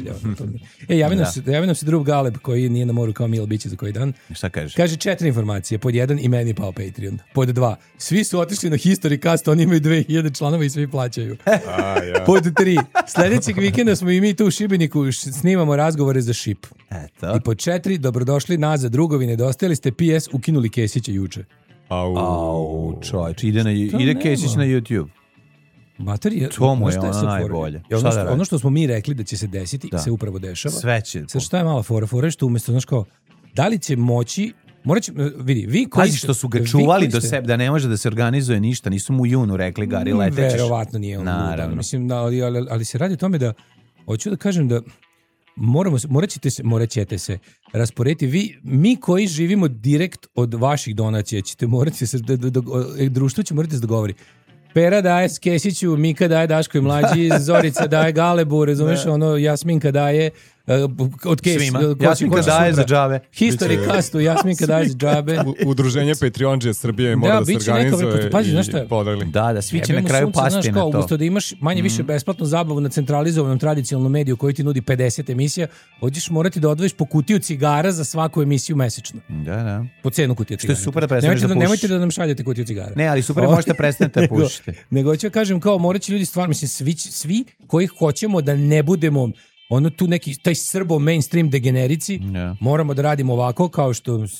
Javi nam se drug Galeb koji nije na moru kao Mil biće za koji dan. Šta kaže? Kaže 4 informacije. Pod 1, i meni pao Patreon. Pod 2, svi su otišli na Historycast, oni imaju 2000 članova i svi plaćaju. Pod 3, sljedećeg vikenda smo i mi tu u Šibeniku snimamo razgovore za šip. I pod 4, dobrodošli nazad drugovi, nedostajali ste, PS, ukinuli Kesića juče. Čovječ, ide Kesić na YouTube. Materija, to mu je ono najbolje. Ono što smo mi rekli da će se desiti, se upravo dešava. Sve će. Sad šta je mala fora što umjesto, znaš kao, da li će moći, morat će, vidi, vi koji ste... što su ga čuvali do sebe, da ne može da se organizuje ništa, nisu mu junu rekli, Gari, letećeš. Verovatno nije on. Naravno. Mislim, ali se radi o tome da, hoću da kažem da morat ćete se rasporediti. Mi koji živimo direkt od vaših donacija, ćete morati se, društvo će morati se dogovori. Pera daje Kesiću, Mika daje Daško i mlađi, Zorica daje Galebu, razumeš, Jasminka daje od svima. Jasminka daje za džabe. Historycastu, Jasminka daje za džabe. Udruženje Patreonđe Srbije mora da se organizuje i podeli. Da, svi će na kraju pasti na to. Umesto da imaš manje više besplatnu zabavu na centralizovanom tradicionalnom mediju koji ti nudi 50 emisija, hoćeš morati da odvojiš po kutiju cigara za svaku emisiju mesečno. Da. Po cenu kutije cigara. Što je super da prestaneš da pušiš. Nemojte da nam šaljete kutiju cigara. Ne, ali super možete prestanete da pušite. Nego ću kažem, kao morat će ljudi stvarno, mislim, svi koji hoćemo da ne budemo tu neki, taj srbo mainstream degenerici, moramo da radimo ovako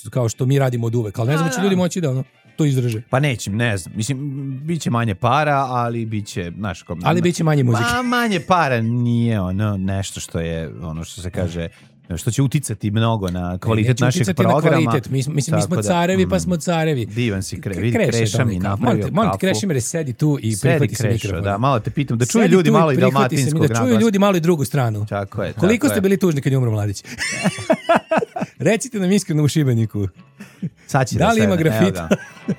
kao što mi radimo od uvek. Ali ne znam, će ljudi moći da to izdrže. Pa neće, ne znam. Mislim, bit će manje para, ali bit će, znaš, ali bit će manje muzike. Manje para nije nešto što je, što se kaže, što će uticati mnogo na kvalitet našeg programa. Mi smo carevi, pa smo carevi. Divan si Kreša mi napravio kafu. Molim te, Krešimire, sedi tu i prihvati se mikrofon. Da, malo te pitam, da čuju ljudi malo i dalmatinskog naglasa. Da čuju ljudi malo i drugu stranu. Tako je. Koliko ste bili tužni kad je umro Mladić? Recite nam iskreno u Šibeniku. Da li ima grafita?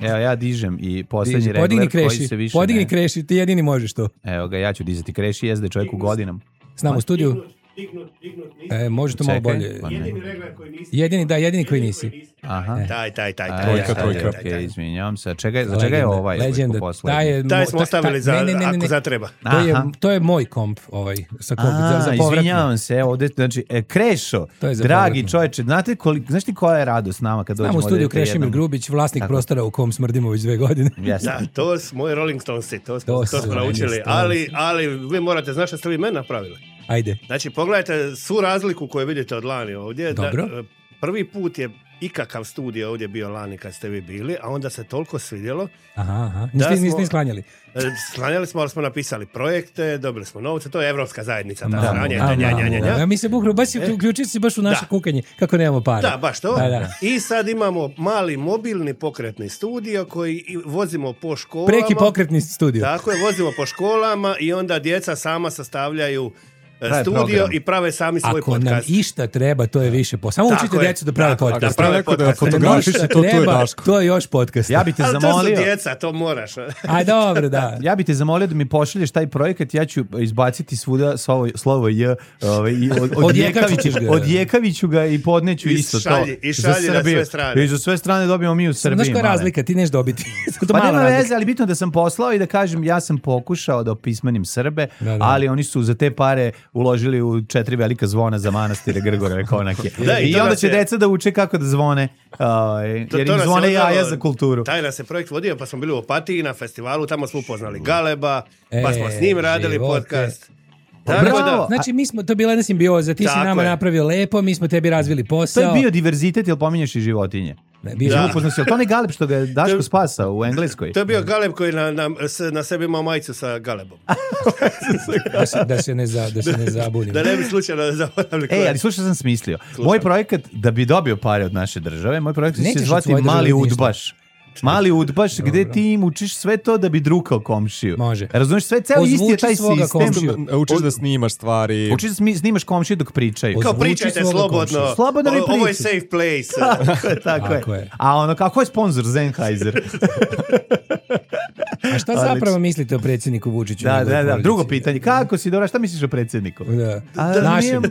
Evo, ja dižem i posljednji regler koji se više... Podigni Kreši, ti jedini možeš to. Evo ga, ja ću dizati Kreši, jezde čovjek u godinama. S nama u studiju. Može to malo bolje. Jedini regler koji nisi. Jedini koji nisi. Aha. Taj. Trojka. Izvinjavam se. Za čega je ovaj? Legenda. Taj smo ostavili ako zatreba. To je moj komp sa komp za povratno. Izvinjavam se, ovdje, znači, Krešo, dragi čovječe, znaš ti koja je radost s nama kad dođemo? Znamo u studiju Krešimir Grubić, vlasnik prostora u kom smrdimo već 2 godine. Da, to su moji Rolling Stonesi, to smo naučili, ali vi morate, znaš što ste vi meni napravili? Ajde. Znači, pogledajte svu razliku koju vidite od lani ovdje. Dobro. Prvi put je ikakav studio ovdje bio lani kad ste vi bili, a onda se toliko svidjelo. Aha. Niste sklanjali? Sklanjali smo, ali smo napisali projekte, dobili smo novce, to je Evropska zajednica. Mi se bukru, baš uključiti si baš u naše kukanje, kako nemamo para. Da, baš to. Da. I sad imamo mali mobilni pokretni studio koji vozimo po školama. Preki pokretni studio. Tako je, vozimo po školama i onda djeca sama sastavljaju studio i prave sami svoj ako podcast. Ako nam išta treba, to je više Samo učite djecu da prave podcast. To je još podcast. Ja bi te zamolio. Ali to su djeca, to moraš. A dobro, da. Ja bi te zamolio da mi pošalješ taj projekat, ja ću izbaciti svuda slovo J. Odjekaviću ga i podneću isto to. I šalji na sve strane. I za sve strane dobijemo mi u Srbiji. Znaš koja je razlika, ti neš dobiti. Pa nema veze, ali bitno da sam poslao i da kažem ja sam pokušao da opismenim Srbe, ali oni su za te pare uložili u 4 velika zvona za manastire Grgorove konake. I onda će deca da uče kako da zvone, jer im zvone jaja za kulturu. Taj nas je projekt vodio, pa smo bili u Opatiji na festivalu, tamo smo upoznali Galeba, pa smo s njim radili podcast. Znači mi smo, to je bila jedna simbioza, ti si nama napravio lepo, mi smo tebi razvili posao. To je bio diverzitet, jel pominješ i životinje? To ne Galeb što ga je Daško spasao u Engleskoj? To je bio Galeb koji na sebi imao majicu sa Galebom. da se ne zabunimo. Da ne bi slučajno zaboravili. Ali slušaj sam smislio. Moj projekat, da bi dobio pare od naše države, moj projekat će se zvati Mali udbaš. Mali udbaš, gde ti im učiš sve to da bi drukao komšiju. Može. Razumiješ, sve ceo isti je taj sistem. Učiš da snimaš stvari. Učiš da snimaš komšiju dok pričaju. Kao pričajte slobodno. Slobodno mi pričaju. Ovo je safe place. Tako je. A ono, kako je sponsor Sennheiser? A šta zapravo mislite o predsjedniku Vučiću? Da. Drugo pitanje. Kako si, Dora, šta misliš o predsjedniku? Našem.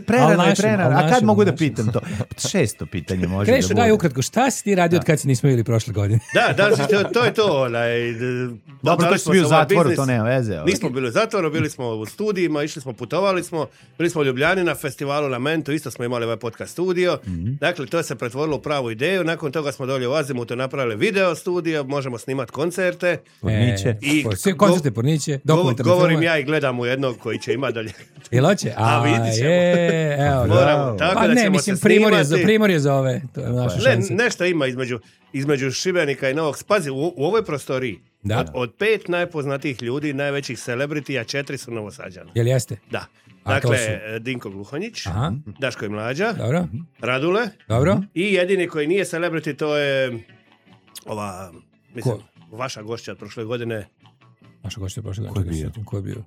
A kad mogu da pitam to? 600 pitanje može da bude. Krešo, daj ukratko, šta si ti radio od kad si nismo bili prošle godine? To je to. Dobro, to si bio u zatvoru, to nema veze. Nismo bili u zatvoru, bili smo u studijima, išli smo, putovali smo, bili smo u Ljubljani na festivalu Lamento, isto smo imali ovaj podcast studio. Dakle, to se pretvorilo u pravu ideju. Nakon toga smo dolje u Azimutu napravili video studio, možemo snimati koncerte. Koncerte porniće, dokumentarne filmove. Govorim ja i gledam u jednog koji će imati dalje. Jel hoće? Vidit ćemo. Moramo, tako da ćemo se snimati. Primorje za ove. Nešto ima između Šibenika i Novog. Pazi, u ovoj prostoriji od 5 najpoznatijih ljudi, najvećih celebritija, 4 su Novosađana. Jel jeste? Da. Dakle, Dinko Gluhonjić, Daško i Mlađa, dobro. Radule, dobro. I jedini koji nije celebrity, to je ova, mislim, vaša gošća od prošle godine. Vaša gošća od prošle godine? Ko je bio?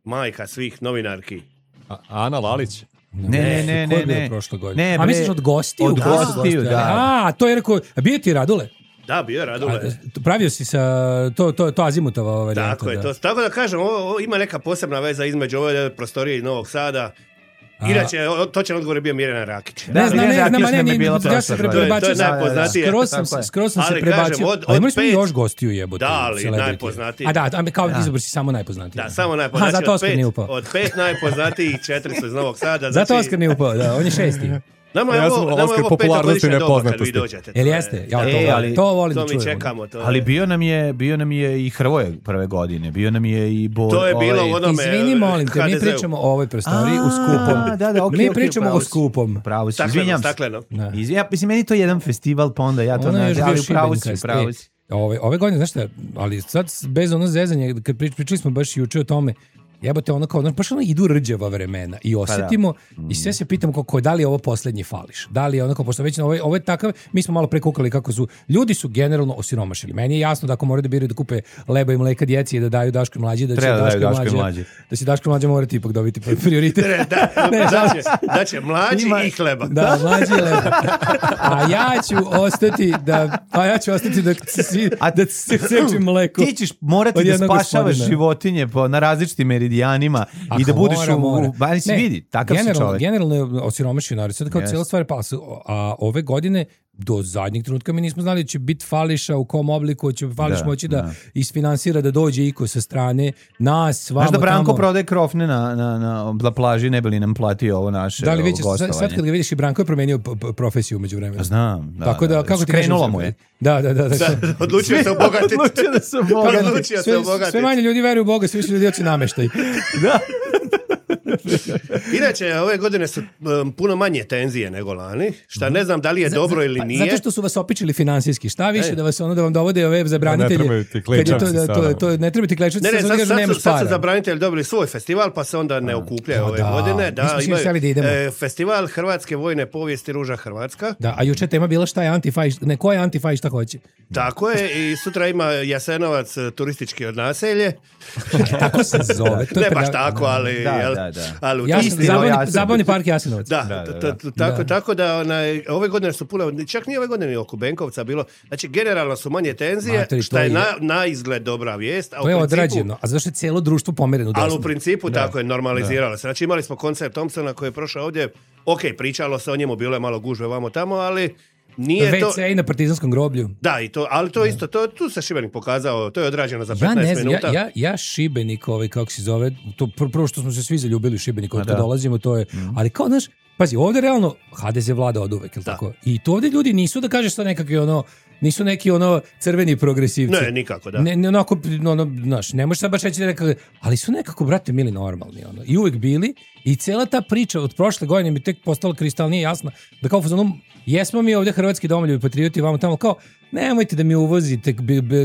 Majka svih novinarki. Ana Lalić. Ne. Ko je bio prošle godine? A misliš od gostiju? Od gostiju, da. To je rekao, bio ti Radule? Da, bio je Radule. Pravio si sa to Azimutova varijanta. Tako je, to. Tako da kažem, ovo ima neka posebna veza između ove prostorije i Novog Sada. Inače, točan odgovor je bio Mirjana Rakić. Ne, ja se prebacio. To je najpoznatije. Skroz sam se prebacio. Ali imali smo još gostiju jebote. Da, ali najpoznatiji. Kao izabor si samo najpoznatiji. Da, samo najpoznatiji. Zato Oskar nije upao. Od 5 najpoznatijih 4 su iz Novog Sada. Zato Oskar nije upao, da, on je 6. Nama je ovo 5. godišnje doba kad vi dođete. Jel jeste? To volim da čujem. To mi čekamo. Ali bio nam je i Hrvoje prve godine, bio nam je i Bor. To je bilo u onome HDZ-u. Izvini, molim te, mi pričamo o ovoj prostoriji u skupom. Mi pričamo o skupom. Pravo si, izvinjam se. Mislim, meni to je jedan festival, pa onda ja to nađem, ali pravo si. Ove godine, znaš šta, ali sad bez ono zezanje, kad pričali smo baš juče o tome, jebote, ono kao, baš ono idu rđava vremena i osjetimo i sve se pitamo kako, da li je ovo posljednji fališ, da li je ono kao, pošto već ovo je takav, mi smo malo prekukali kako su, ljudi su generalno osiromašili. Meni je jasno da ako moraju da biraju da kupe leba i mleka djeci i da daju Daško i Mlađi, da će Daško i Mlađa morati ipak dobiti prioritet. Da će Mlađi i hleba. Da, Mlađi i leba. A ja ću ostati da sečim mleko. Ti ćeš morati da spašavaš životinje na različitim meridijanima i da budeš vidi, takav si čovjek. Generalno je osiromašio narod. Sada kao cijela stvar pala. A ove godine do zadnjeg trenutka mi nismo znali da će biti fališa, u kom obliku će fališ moći da isfinansira, da dođe iko sa strane nas, vamo. Znaš da Branko prodaje krofne na plaži, ne bi li nam platio ovo naše gostovanje. Sad kad ga vidiš, i Branko je promenio profesiju umeđu vremena. Znam. Tako da, kako ti krenulo mu je. Da. Odlučio se obogatiti. Sve manje ljudi veruju u Boga, sve više ljudi hoće nameštaj. Da. Inače, ove godine su puno manje tenzije nego lani, šta ne znam da li je dobro ili nije. Zato što su vas opičili finansijski. Šta više da vam dovode ove zabranitelje? Ne trebaju ti klečavci sada. Ne trebaju ti klečavci, sad su zabranitelji dobili svoj festival, pa se onda ne okupljaju ove godine. Festival Hrvatske vojne povijesti Ruža Hrvatska. Da, a juče tema bila šta je antifaj, ko je antifaj, šta hoće. Tako je, i sutra ima Jasenovac turistički od naselje. Tako se zove. Ne baš tako, ali... Zabavni park Jasenovac. Tako da ove godine su puno, čak nije ove godine oko Benkovca bilo, znači generalno su manje tenzije, što je na izgled dobra vijest. To je odrađeno, a zašto je cijelo društvo pomereno desno. Ali u principu tako je normaliziralo se. Znači imali smo koncert Thompsona koji je prošao ovdje, pričalo se o njemu, bilo je malo gužve vamo tamo, ali nije to... WC i na Partizanskom groblju. Da, ali to isto, tu se Šibenik pokazao, to je odrađeno za 15 minuta. Ja Šibenik, kako se zove, to prvo što smo se svi zaljubili u Šibenik, kad dolazimo, to je, ali kao, znaš, pazi, ovdje realno HDZ vlada od uvek, ili tako? I to ovdje ljudi nisu da kažeš sad nekakvi nisu neki ono crveni progresivci. Ne, nikako, da. Ne onako, znaš, ne možeš sad baš reći da ali su nekako, brate, mili normalni, ono. I uvek bili, i cela ta priča od prošle godine mi tek postala kristalnije jasna, da kao jesmo mi ovdje hrvatski domoljubi patrioti, vamo tamo, kao, nemojte da mi uvozite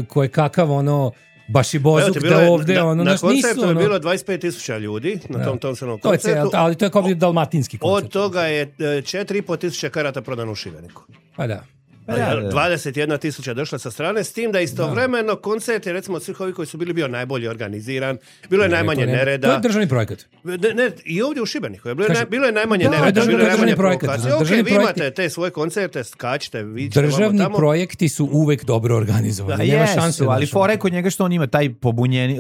koje kakav, ono, baš i bozuk da ovdje, ono, na koncertu je bilo 25.000 ljudi, na tom Thompsonovom koncertu. Ali to je kao dalmatinski koncert. Od toga je 4.500 karata prodano u Šibeniku. Pa da. 21.000 došla sa strane, s tim da istovremeno koncert je, recimo, od svih ovih koji su bio najbolje organiziran, bilo je najmanje nereda. To je državni projekat. Ne, i ovdje u Šibeniku bilo je najmanje nereda, bilo je najmanje provokacije. Ok, vi imate te svoje koncerte, skačite, vi ćete državni projekti su uvek dobro organizovani. Nema šanse. Ali fore kod njega što on ima taj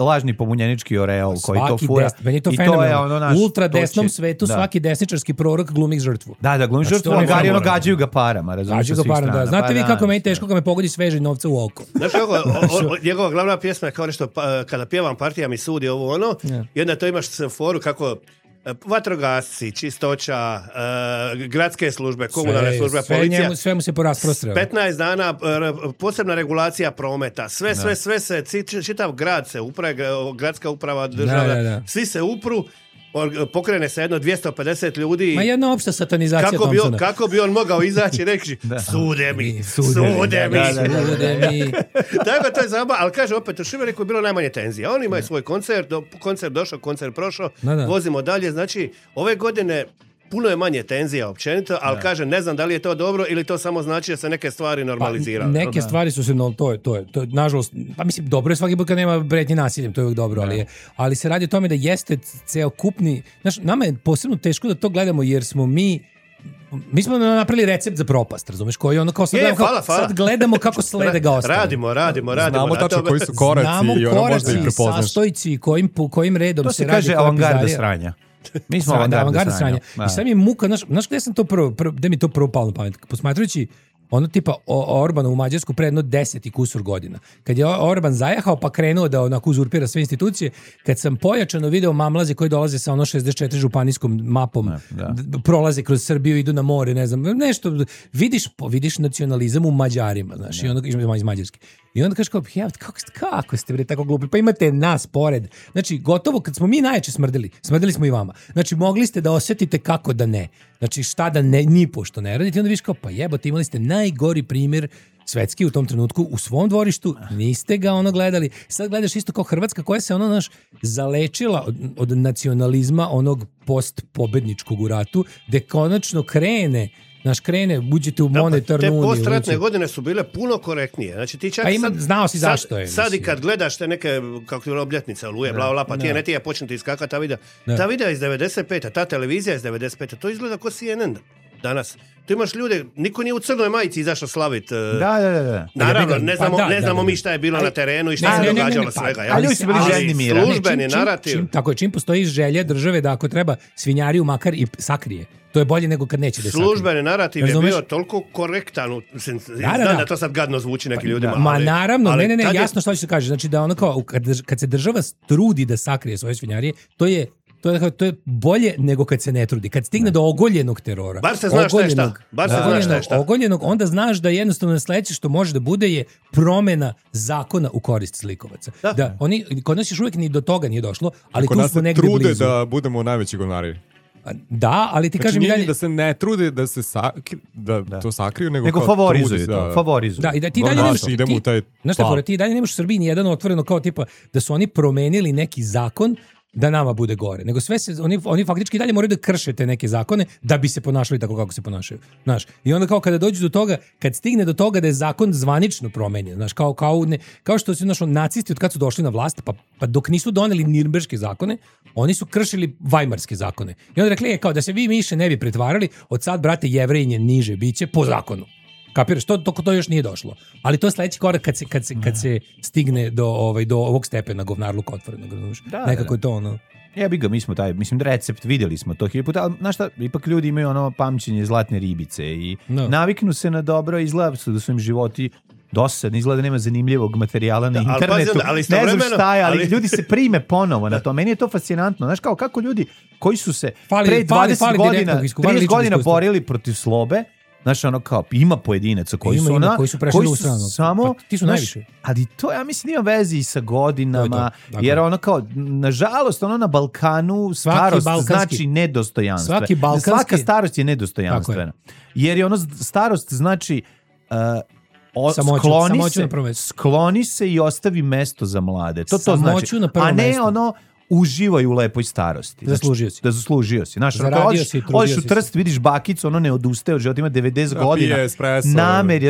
lažni pobunjenički oreol koji to fura. Meni je to fenomenalno. U ultra desnom svetu svaki desničarski prorok glumi žrtvu. Da, glumi žrtvu, oni gađaju ga parama, razumiješ, sa svih strana. Znate vi kako meni teško kad me pogodi sveže novca u oko. Znaš njegova glavna pjesma je kao nešto, kada pjevam partija mi sudi ovo ono, jedna to imaš foru kako vatrogasci, čistoća, gradske službe, komunalne službe, policija. Sve mu se porasprostreo. 15 dana posebna regulacija prometa. Sve se, čitav grad se gradska uprava, država, svi se upru. Pokrene se jedno 250 ljudi. Ma jedna opšta satanizacija Thompsona. Kako bi on mogao izaći i reći sude mi. Tako to je zabavno, ali kaže opet u Šibeniku je bilo najmanje tenzija. Oni imaju svoj koncert došao, koncert prošao, vozimo dalje. Znači, ove godine puno je manje tenzija općenito, ali kaže, ne znam da li je to dobro ili to samo znači da se neke stvari normaliziraju. Neke stvari su se, to je, nažalost, pa mislim, dobro je svaki put kad nema pretnje nasiljem, to je uvijek dobro, ali se radi o tome da jeste ceokupni, znaš, nama je posebno teško da to gledamo, jer smo mi smo napravili recept za propast, razumeš, koji ono kao sad gledamo kako slede ga ostane. Radimo. Znamo tačno koji su koraci i ono možda ih prepoznaš. Sastojci, kojim redom to se radi. To se kaže avangarda sranja. Mi smo avangarda sranja. I sad mi je muka, znaš gdje sam to gdje mi to prvo palo na pamet? Posmatrajući ono tipa Orbana u Mađarsku pre jedno 10 i kusur godina. Kad je Orban zajahao pa krenuo da onako uzurpira sve institucije, kad sam pojačano video mamlaze koji dolaze sa ono 64 županijskom mapom, prolaze kroz Srbiju, idu na more, ne znam, nešto, vidiš nacionalizam u Mađarima, znaš, i onda iz Mađarske. I onda kažeš kao, kako ste bre tako glupi, pa imate nas pored. Znači, gotovo, kad smo mi najjače smrdeli smo i vama. Znači, mogli ste da osjetite kako da ne. Znači, šta da ne, ni pošto ne radite. I onda viš kao, pa jebote, imali ste najgori primjer svetski u tom trenutku u svom dvorištu, niste ga ono gledali. Sad gledaš isto kao Hrvatska koja se ono zalečila od nacionalizma onog post-pobedničkog u ratu, gde konačno krene, uđete u monetarnu uniju. Te postratne godine su bile puno korektnije. Znači ti čak znao si zašto je. Sad i kad gledaš te neke, kako je obljetnice, oluje, bla, pa ti počnete iskakati ta videa. Ta videa iz 95. Ta televizija iz 95. To izgleda kao CNN danas. Tu imaš ljude, niko nije u crnoj majici izašao slaviti. Da. Naravno, ne znamo mi šta je bilo na terenu i šta se događalo svega. Ali ljudi su bili željni mira. Službeni narativ. Tako je, čim postoji želja države da ako treba svinjariju makar i sakrije. To je bolje nego kad neće da sakrije. Službeni narativ je bio toliko korektan. Znam da to sad gadno zvuči nekim ljudima. Ma naravno, ne, jasno što će se kaže. Znači da ono kao, kad se država trudi da sakrije svoje svinjarije, to je bolje nego kad se ne trudi. Kad stigne do ogoljenog terora. Bar se znaš šta. Ogoljenog, onda znaš da jednostavno sledeće što može da bude je promena zakona u korist slikovaca. Da kod nas još uvijek ni do toga nije došlo, ali tu smo negdje blizu. Trude da budemo najveći govnari. Da, ali ti kažem i dalje da se ne trude da se to sakriju, nego favorizuju to. Favorizuju. Da, i da ti dalje nemaš ti dalje nemaš u Srbiji ni jedan otvoreno kao tipa da su oni promenili neki zakon da nama bude gore. Nego sve se, oni faktički dalje moraju da krše te neke zakone da bi se ponašali tako kako se ponašaju. Znaš, i onda kao kada dođu do toga, kad stigne do toga da je zakon zvanično promenjen, znaš, kao što su nacisti od kad su došli na vlast, pa dok nisu doneli Nirnberške zakone, oni su kršili Vajmarske zakone. I onda rekli, kao da se vi više ne bi pretvarali, od sad, brate, Jevrejinje niže biće po zakonu. Kapiraš, to još nije došlo. Ali to je sledeći korak kad se stigne do ovog stepena govnarluka otvorenog. Nekako je to ono. Jebi ga, mi smo recept, vidjeli smo to 1000 puta, ali znaš šta, ipak ljudi imaju ono pamćenje zlatne ribice i naviknu se na dobro, izgleda su da su im životi dosadni, izgleda nema zanimljivog materijala na internetu, ne znam šta je, ali ljudi se prime ponovo na to. Meni je to fascinantno. Znaš kako ljudi koji su se pre 20 godina, 30 godina borili protiv slobe, Znaš, ono kao, ima pojedinaca koji su koji su prešli u stranu. Samo, ti su najviše. Ali to, ja mislim, ima vezi i sa godinama, jer ono kao, nažalost, ono na Balkanu starost znači nedostojanstvo. Svaka starost je nedostojanstvena. Jer je ono, starost znači skloni se i ostavi mesto za mlade. To znači. A ne ono, uživaj u lepoj starosti. Zaslužio si. Znaš, odeš u Trst, vidiš bakicu, ono ne odustaje od života, ima 90 godina.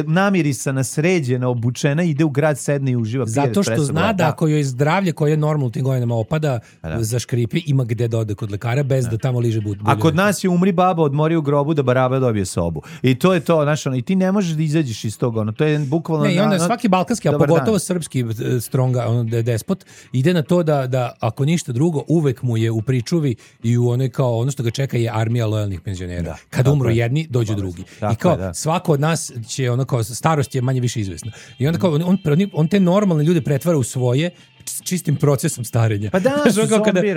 Namirisana, sređena, obučena, ide u grad, sedne i uživa. Zato što zna da ako joj zdravlje koje je normalno u tim godinama opada, zaškripi, ima gde da ode kod lekara bez da tamo liže bulje. A kod nas je umri baba, odmori u grobu da baraba dobije sobu. I to je to, znaš, i ti ne možeš da izađeš iz toga. To je bukvalno... Ne, i onda svaki balkanski, a pogotovo srpski stronga, despot, ide na to da ako ništa drugo, uvek mu je u pričuvi i u onoj kao ono što ga čeka je armija lojalnih penzionera. Kad umru jedni, dođu drugi. I kao svako od nas će ono kao starost je manje više izvesna. I onda kao on te normalne ljude pretvara u svoje čistim procesom starenja. Pa da,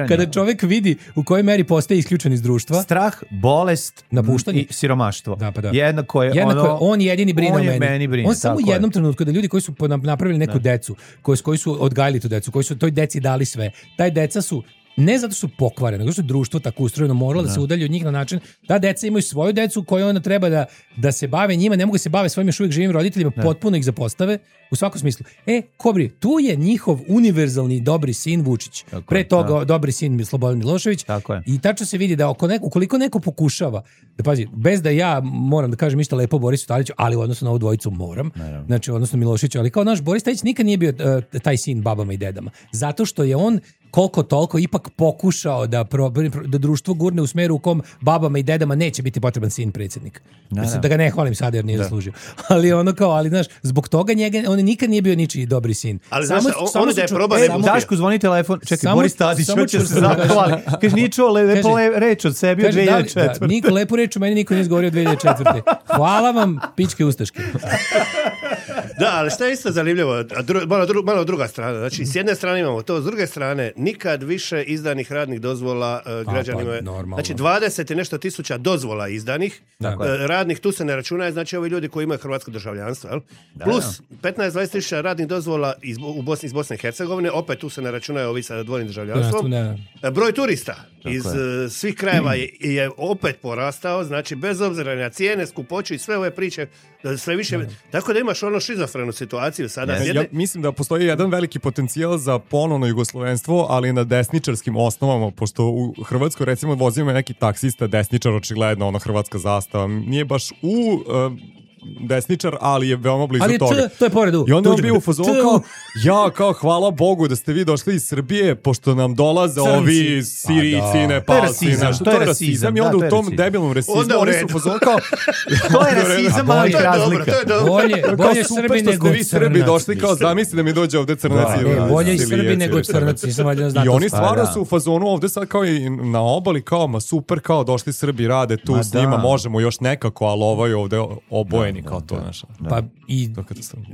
kada čovjek vidi u kojoj meri postaje isključen iz društva. Strah, bolest, napuštanje i siromaštvo. Da. Jednako je on jedini brine o meni. On samo u jednom trenutku da ljudi koji su napravili neku decu, koji su odgajili tu decu, koji su toj deci dali sve. Taj deca su ne zato što su pokvarene, nego što je društvo tako ustrojeno moralo da se udalji od njih na način da deca imaju svoju decu koju onda treba da se bave njima, ne mogu se bave svojim još uvijek živim roditeljima, potpuno ih zapostave u svakom smislu. Kobri, tu je njihov univerzalni dobri sin Vučić. Pre toga dobri sin Slobodan Milošević. I tačno se vidi da ukoliko neko pokušava, da pazi, bez da ja moram da kažem ništa lepo Borisu Tadiću, ali u odnosu na ovu dvojicu moram, znači odnosno Miloševiću, ali kao naš Boris Tadić nikad nije bio taj sin babama i dedama. Zato što je on koliko toliko ipak pokušao da društvo gurne u smeru u kom babama i dedama neće biti potreban sin predsjednik. Mislim da ga ne hvalim sad jer nije zaslužio. Ali ono kao, ali znaš, zbog toga on nikad nije bio ničiji dobri sin. Ali znaš, ono da je probao ne Daško zvoni telefon, čekaj, Boris Tadić hoće se zahvali. Kaže, nije čuo lepo reč od sebi od 2004. Niko lepo reč o meni niko nije izgovorio od 2004. Hvala vam, pičke ustaške. Da, ali šta je isto zanimljivo, malo druga strana. Znači, s jedne strane imamo to, s druge strane, nikad više izdanih radnih dozvola građanima. Znači, 20 i nešto tisuća dozvola izdanih, radnih tu se ne računaju, znači ovi ljudi koji imaju hrvatsko državljanstvo, jel? Plus 15-20 tisuća radnih dozvola iz Bosne i Hercegovine, opet tu se ne računaju ovi sa dvojnim državljanstvom. Broj turista iz svih krajeva je opet porastao, znači bez obzira na cijene, skupoću i sve ove priče, sve više, tako da imaš ono šizofrenu situaciju sada. Ja mislim da postoji jedan veliki potencijal za ponovno jugoslovenstvo, ali na desničarskim osnovama, pošto u Hrvatskoj recimo vozimo neki taksista, desničar, očigledno, ono hrvatska zastava, nije baš u desničar, ali je veoma blizu toga. To je pored u. I onda on bio u fazonu kao hvala Bogu da ste vi došli iz Srbije, pošto nam dolaze ovi Sirijci, Nepalci. To je rasizam. I onda u tom debilnom rasizmu oni su u fazonu kao to je rasizam, ali razlika. Bolje Srbi nego vi Srbi došli kao zamisli da mi dođe ovde crnaci. Bolje i Srbi nego crnaci. I oni stvarno su u fazonu ovde sad kao i na obali kao ma super, kao došli Srbi, rade tu s njima, možemo još nekako, ali ovo je ovde oboje kao to naša. Pa i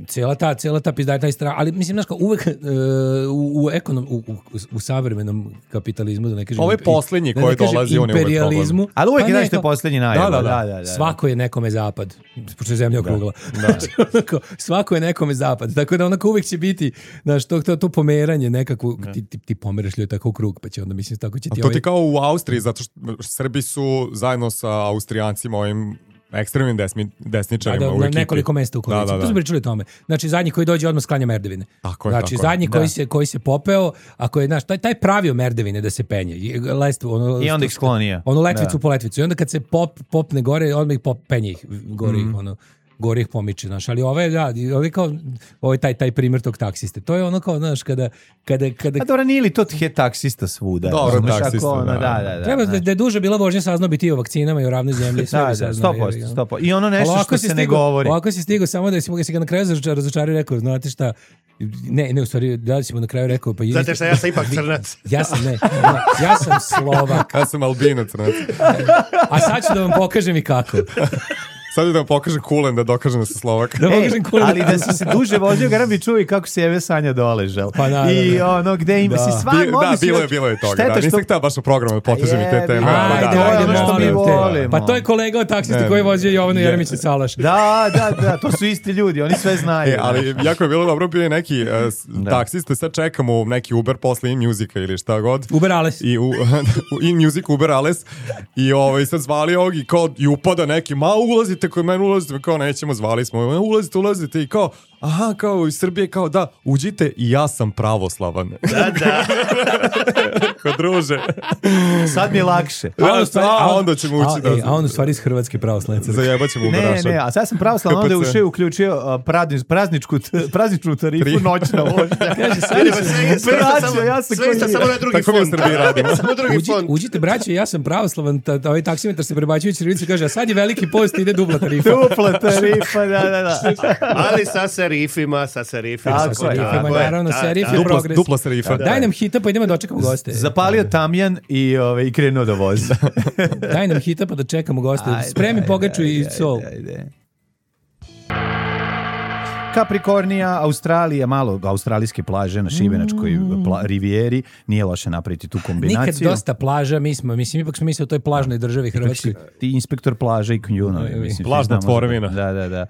cijela ta pizda, taj strah, ali mislim, znaš, kao uvek u savremenom kapitalizmu, da ne kažem... Ovo je posljednji koji dolazi, on je uvek problem. Ali uvek je nešto posljednji najbolj. Svako je nekome zapad, pošto je zemlja okrugla. Svako je nekome zapad, tako da onako uvek će biti, znaš, to pomeranje nekako, ti pomeraš ljudi tako u krug, pa će onda, mislim, tako će ti... To ti kao u Austriji, zato što Srbi su zajedno sa Austrijancima ovim ekstremnim desničarima u ekipi. Na nekoliko mesta u koaliciji. Tu smo pričali o tome. Znači, zadnji koji dođe odmah sklanja merdevine. Znači, zadnji koji se popeo, ako je, znaš, taj pravio merdevine da se penje. I onda ih sklonija. Ono letvicu po letvicu. I onda kad se popne gore, onda ih penje ih gore ih, gore ih pomiče, znaš, ali ovo je kao taj primjer tog taksiste. To je ono kao, znaš, kada... A dobro, nije li to je taksista svuda? Dobro, taksista, da. Treba da je duže bila vožnja saznao bi ti o vakcinama i o ravnoj zemlji. Da, 100%. I ono nešto što se ne govori. Ovako si stigao samo da si ga na kraju razočario i rekao, znate šta, ne, u stvari, da si mu na kraju rekao... Znate šta, ja sam ipak crnac. Ja sam Slovak. Ja sam Albinac, crnac. A sad ću da vam pokažem i kako. Sad da vam pokažem Kulen da dokažem da se Slovak. Ali da si se duže vozio, garam bi čuo i kako se Eve Sanja doležel. Pa I ono, gde ima si sva... Bilo je toga. Nisam htio baš u programu da potežem i te teme. Ajde, pa to je kolega od taksisti koji je vozio Jovanu Jeremića Salaš. Da, to su isti ljudi, oni sve znaju. Ali jako je bilo dobro, bio je neki taksiste, sad čekamo neki Uber posle InMusica ili šta god. Uber Ales. I InMusic, Uber Ales. I sad zvali ovog i kao i upada neki, ulazite kod mene, ulazite, kao nećemo, zvali smo, ulazite i kao, aha, kao iz Srbije, kao da, uđite i ja sam pravoslavan. Da. Ko druže. Sad mi je lakše. Onda ćemo ući da... A on u stvari iz Hrvatske pravoslavne crkve. Zajebat ćemo Uberaša. Ne, a sad sam pravoslavan, onda je uključio prazničnu tarifu noćna vožnja. Kaže, sve samo na drugi fond. Samo drugi fond. Uđite, braće, ja sam pravoslavan, ovaj taksimetar se prebačuje Ćirilicu, kaže, a sad je veliki post, ide dupla tarifa. Da. Ali sa serifima. Naravno, serif je progres. Dupla serifa. Daj nam hita, pa idemo da očekamo goste. Zapalio tamjan i krenuo da vozi. Daj nam hita, pa da čekamo goste. Spremi pogaču i sol. Kaprikornija, Australija, malo australijske plaže na Šibenačkoj rivijeri, nije loše napraviti tu kombinaciju. Nikad dosta plaža, ipak smo mislili o toj plažnoj državi Hrvatskoj. Ti inspektor plaže i Kunjunovi. Plažna tvorevina. Da.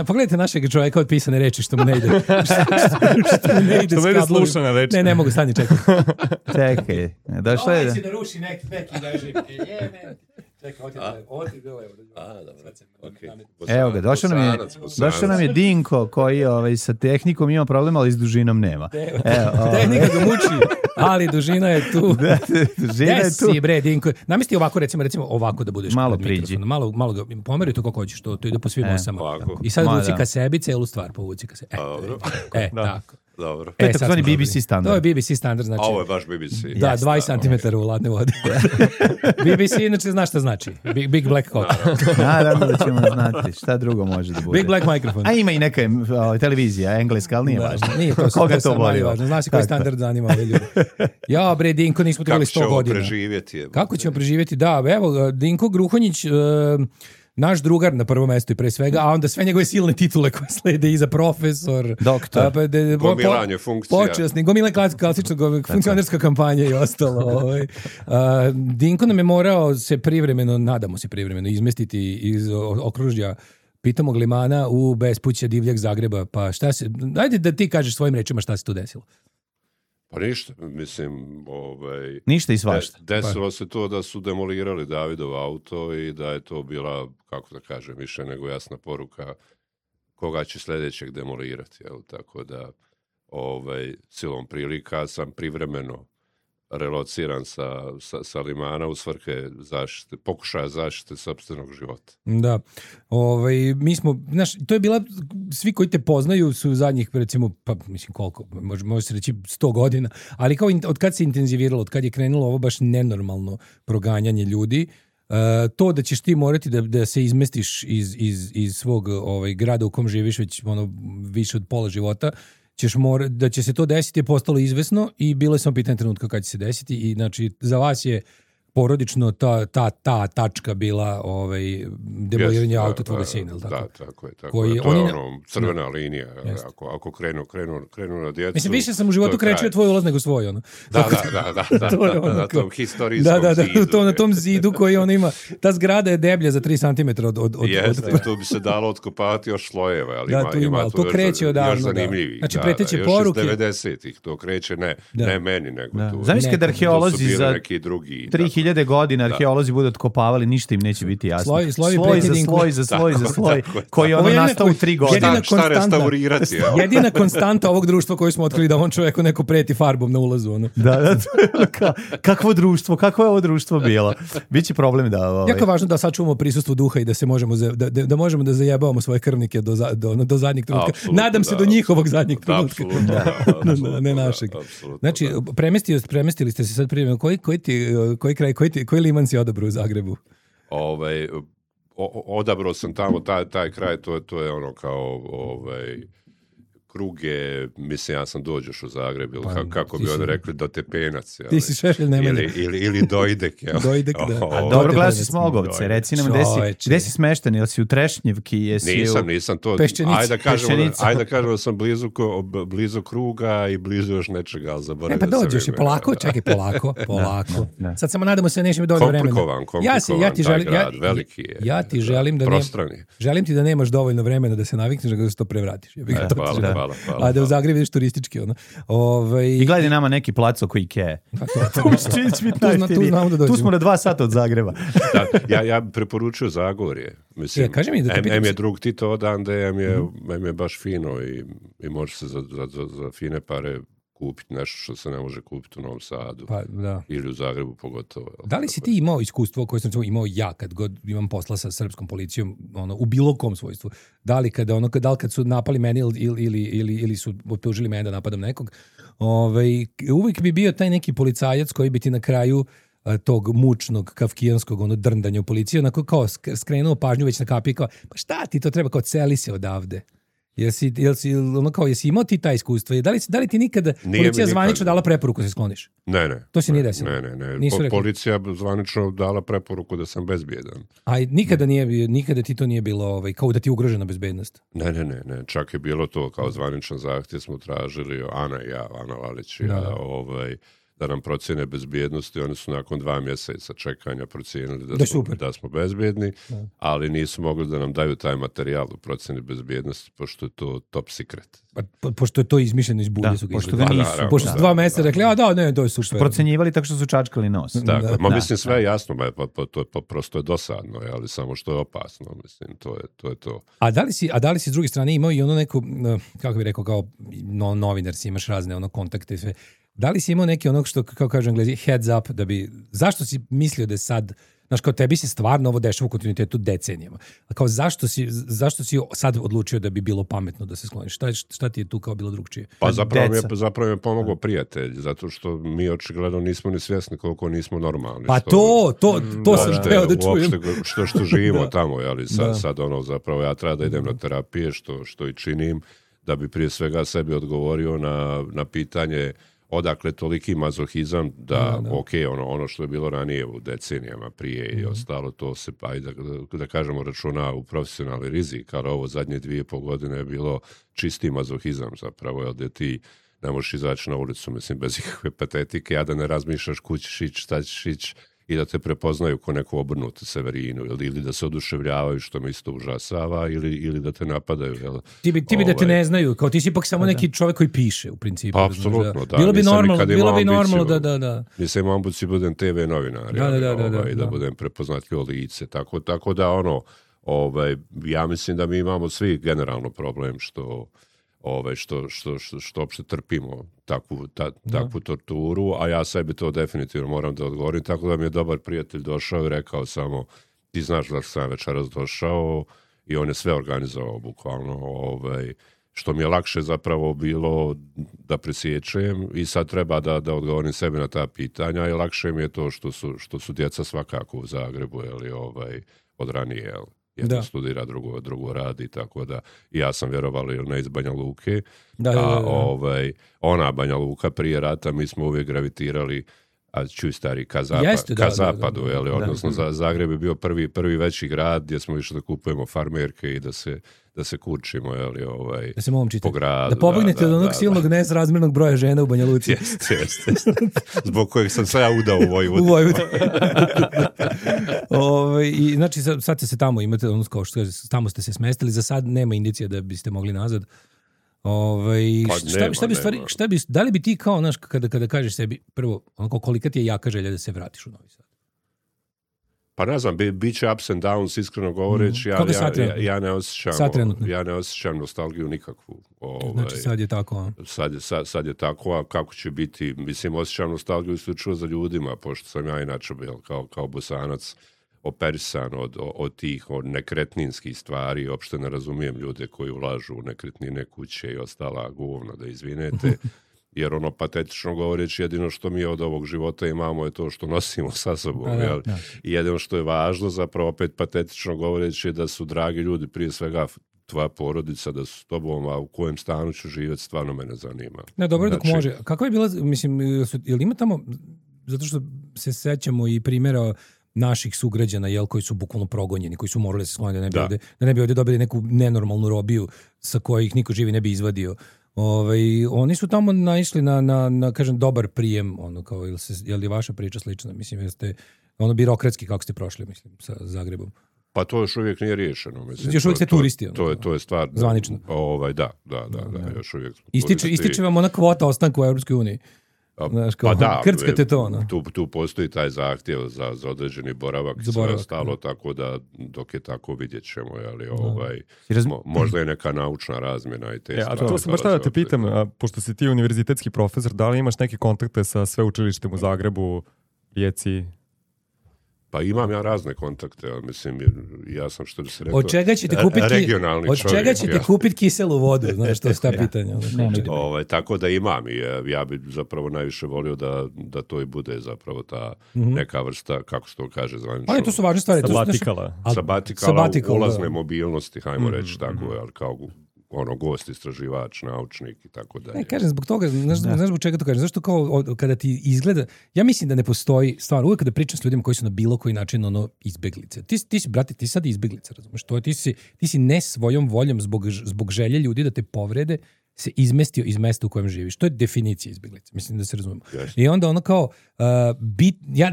Pogledajte našeg čovjeka od pisane reči što mu ne ide. Što mu ne ide slušana reči. Ne mogu stani čekati. Čekaj, došlo je... Ovo će da ruši neki režim. Evo ga, došao nam je Dinko koji sa tehnikom ima problema, ali s dužinom nema. Tehnika ga muči, ali dužina je tu. Dužina je tu. Jesi bre, Dinko. Namesti ovako, recimo ovako da budeš malo pred priđi. Malo ga pomeri to kako hoćeš, to ide po svim osama. I sad vuci ka sebi, celu stvar povuci ka sebi. Tako. Dobro. To je takozvani BBC standard. To je BBC standard, znači. A ovo je baš BBC. Da, 20 cm u ladne vode. BBC inače znaš šta znači. Big Black Cock. Naravno da ćemo znati šta drugo može da bude. Big Black Microphone. A ima i neka televizija engleska, ali nije važno. Nije to koga to boli. Znaš koji standard zanima ove ljudi. Ja, bre, Dinko, nismo trebali 100 godina. Kako ćemo preživjeti? Da, evo, Dinko Gruhonjić... naš drugar na prvom mestu i pre svega, a onda sve njegove silne titule koje slede iza profesor, doktor, gomilanje funkcija. Počasni, gomilanje klasična funkcionerska kampanja i ostalo. Dinko nam je morao se privremeno, nadamo se privremeno, izmestiti iz okružja pitomog limana u bespuće divljeg Zagreba. Pa šta se, ajde da ti kažeš svojim rečima šta se tu desilo. Pa ništa, mislim, ništa i svašta. Desilo se to da su demolirali Davidov auto i da je to bila, kako da kažem, više nego jasna poruka koga će sljedećeg demolirati, jel? Tako da, silom prilika sam privremeno relociran sa limana u svrhe zaštite, pokušaja zaštite sopstvenog života. Da. Mi smo, znaš, to je bila, svi koji te poznaju su zadnjih, recimo, pa mislim koliko, može se reći 100 godina, ali kao od kad se intenziviralo, od kad je krenulo ovo baš nenormalno proganjanje ljudi, to da ćeš ti morati da se izmestiš iz svog grada u kom živiš već više od pola života, da će se to desiti je postalo izvesno i bilo je samo pitanje trenutka kad će se desiti i znači za vas je porodično ta tačka bila demoliranje auto tvoga sina, ili tako? Da, tako je. To je crvena linija. Ako krenu na djecu... Mislim, više sam u životu krećio tvoj ulaz nego svoj, ono. Da, na tom historijskom zidu. Na tom zidu koji on ima. Ta zgrada je deblja za 3 cm od... Jeste, tu bi se dalo otkopavati još slojeva, ali ima tu još zanimljivih. Znači, preteće poruke... Još iz 90-ih, to kreće ne meni, nego tu. Zamislite da arheolozi za 3000 godina arheolozi budu otkopavali, ništa im neće biti jasno. Sloj za sloj, koji ono nastao u 3 godine. Šta restaurirati? Jedina konstanta ovog društva koju smo otkrili da on čovjeku neko preti farbom na ulazu. Ono. Da, kakvo je ovo društvo bilo? Biće problem da... Jako je važno da sačuvamo prisustvo duha i da se možemo da zajebavamo svoje krvnike do zadnjeg trenutka. Nadam se do njihovog zadnjeg trenutka. Ne našeg. Znači, premestili ste se sad prije. Koji kraj, koji liman si odabrao u Zagrebu? Odabrao sam tamo taj kraj, to je ono Kruge, mislim, ja sam dođeš u Zagreb, ili kako bi oni rekli, do Tepenac. Ti si Šešelj Nemanja. Ili Dojdek. Dojdek, da. A dobro, gledao si Smogovce, reci nam gde si smešten, jel si u Trešnjevki? Nisam to. Peščenici. Ajde da kažemo da sam blizu Kruga i blizu još nečega, ali zaboravio sam. Pa dođeš je polako, čekaj, polako. Sad samo nadamo se nećemo dovoljno vremena. Komplikovan, taj grad, veliki je. Ja ti želim ti da nemaš dovoljno vremena da se navikneš da se to prevratiš. Hvala. A da u Zagrebu vidiš turistički. I gledaj nama neki plac oko Ikea. Tu smo na 2 sata od Zagreba. Ja preporučuju Zagorje. Mislim, M je drug Tito odande, M je baš fino i može se za fine pare kupiti nešto što se ne može kupiti u Novom Sadu. Ili u Zagrebu pogotovo. Da li si ti imao iskustvo koje sam imao ja kad god imam posla sa srpskom policijom u bilo kom svojstvu? Da li kad su napali meni ili su optužili mene da napadam nekog? Uvijek bi bio taj neki policajac koji bi ti na kraju tog mučnog, kafkijanskog drndanja u policiji, onako kao skrenuo pažnju već na kapi, kao, pa šta ti to treba, kao celi se odavde. Jesi imao ti taj iskustvo? Da li ti nikada policija zvanično dala preporuku da se skloniš? Ne. To se nije desilo? Ne. Policija zvanično dala preporuku da sam bezbjedan. A nikada ti to nije bilo kao da ti je ugrožena bezbednost? Ne. Čak je bilo to kao zvaničan zahtjev smo tražili, Ana Lalić i ja, da nam procjene bezbjednosti. Oni su nakon 2 mjeseca čekanja procijenili da smo bezbjedni, ali nisu mogli da nam daju taj materijal u procjeni bezbjednosti, pošto je to top secret. Pošto je to izmišljeno iz bulje su ga izgledali. Pošto su 2 mjeseca rekli, to je super. Procenjivali tako što su čačkali nos. Mislim, sve je jasno, to prosto je dosadno, ali samo što je opasno, mislim, to je to. A da li si s druge strane imao i neku, kako bih rekao, kao novinar si imaš razne kontakte i sve. Da li si imao neki što, kao kažu Englezi, heads up, zašto si mislio da je sad, znaš, kao tebi se stvarno ovo dešava u kontinuitetu decenijama, a kao zašto si sad odlučio da bi bilo pametno da se skloniš? Šta ti je tu kao bilo drugčije? Pa zapravo mi je pomogao prijatelj, zato što mi očigledno nismo ni svjesni koliko nismo normalni. Pa to sam teo da čujem. Što živimo tamo, ali sad zapravo ja treba da idem na terapije, što i činim, da bi prije svega sebi odgovorio na pitanje odakle toliki mazohizam ono što je bilo ranije u decenijama prije i ostalo, to se, da kažemo, računa u profesionalni rizik, ali ovo zadnje 2,5 godine je bilo čisti mazohizam zapravo, jer da ti ne možeš izaći na ulicu, mislim, bez ikakve patetike, a da ne razmišljaš kući ćeš ići, šta ćeš ići, i da te prepoznaju ko neku obrnutu Severinu, ili da se oduševljavaju, što me isto užasava, ili da te napadaju. Ti bi da te ne znaju, kao ti si ipak samo neki čovjek koji piše, u principu. Apsolutno, da. Bilo bi normalno da. Nisam imao ambiciju budem TV novinar, da budem prepoznatljivo lice, tako da ja mislim da mi imamo svi generalno problem što uopšte trpimo takvu torturu, a ja sebi to definitivno moram da odgovorim, tako da mi je dobar prijatelj došao i rekao samo, ti znaš da sam večeras došao, i on je sve organizovao bukvalno, što mi je lakše zapravo bilo da presječem, i sad treba da odgovorim sebi na ta pitanja, i lakše mi je to što su djeca svakako u Zagrebu, od ranije, jedno studira, drugo radi, tako da ja sam vjerovali ili ne iz Banja Luke, ona Banja Luka prije rata, mi smo uvijek gravitirali stari ka zapadu, odnosno Zagreb je bio prvi veći grad gdje smo išli da kupujemo farmerke i da se kurčimo, da se po gradu. Da pobegnete od onog silnog nesrazmjernog broja žena u Banja Luci. Jeste. Zbog kojeg sam se ja udao u Vojvodu. I znači sad se tamo imate, kao što tamo ste se smestili, za sad nema indicija da biste mogli nazad. Da li bi ti kao, znaš, kada kažeš sebi, prvo, kolika ti je jaka želja da se vratiš u Novi Sad? Pa ne znam, bit će ups and downs, iskreno govoreći, ja ne osjećam nostalgiju nikakvu. Znači sad je tako, Sad je tako, a kako će biti, mislim, osjećam nostalgiju isključivo za ljudima, pošto sam ja inače bio kao Bosanac operisan od tih nekretninskih stvari, uopšte ne razumijem ljude koji ulažu u nekretnine, kuće i ostala govna, da izvinete, jer patetično govoreći, jedino što mi od ovog života imamo je to što nosimo sa sobom. I jedino što je važno, zapravo opet patetično govoreći, da su dragi ljudi prije svega tvoja porodica, da su s tobom, a u kojem stanu ću živjeti, stvarno mene zanima. Ne, dobro, dok može. Kako je bila, mislim, jel ima tamo, zato što se sećamo i primjera naših sugrađana, koji su bukvalno progonjeni, koji su morali se skloniti da ne bi ovdje dobili neku nenormalnu robiju sa kojih niko živi ne bi izvadio. Oni su tamo naišli na kažem, dobar prijem, kao, je li vaša priča slična? Mislim, jeste birokratski kako ste prošli, mislim, sa Zagrebom. Pa to još uvijek nije riješeno. Mislim, još uvijek ste turisti. To je stvar. Zvanično. Da, još uvijek smo Ističe vam ona kvota ostanka u Europskoj uniji. Znaš, kao, krckate to. Tu postoji taj zahtjev za određeni boravak i sve ostalo, tako da dok je tako vidjet ćemo, možda je neka naučna razmjena i te stvari. To sam baš da te pitam, pošto si ti univerzitetski profesor, da li imaš neke kontakte sa sveučilištem u Zagrebu, Rijeci? Pa imam ja razne kontakte, ali mislim, ja sam što bi se rekao od čega ćete regionalni čovjek. Od čega ćete kupiti kiselu vodu, znaš, to je ta pitanja. Tako da imam i ja bi zapravo najviše volio da to i bude zapravo ta neka vrsta, kako se to kaže zvanično. Ali to su važne stvari. Sabatikala, ulazne mobilnosti, hajmo reći tako, ali kao gost, istraživač, naučnik i tako dalje. Ne, kažem, zbog toga, znaš zbog čega to kažem, zašto kao kada ti izgleda, ja mislim da ne postoji, stvarno, uvijek kada pričam s ljudima koji su na bilo koji način izbeglice. Ti si, brate, ti sad izbeglica, razumeš, ti si ne svojom voljom zbog želje ljudi da te povrede se izmestio iz mesta u kojem živiš. To je definicija izbeglice, mislim da se razumemo. Yes. I onda kao,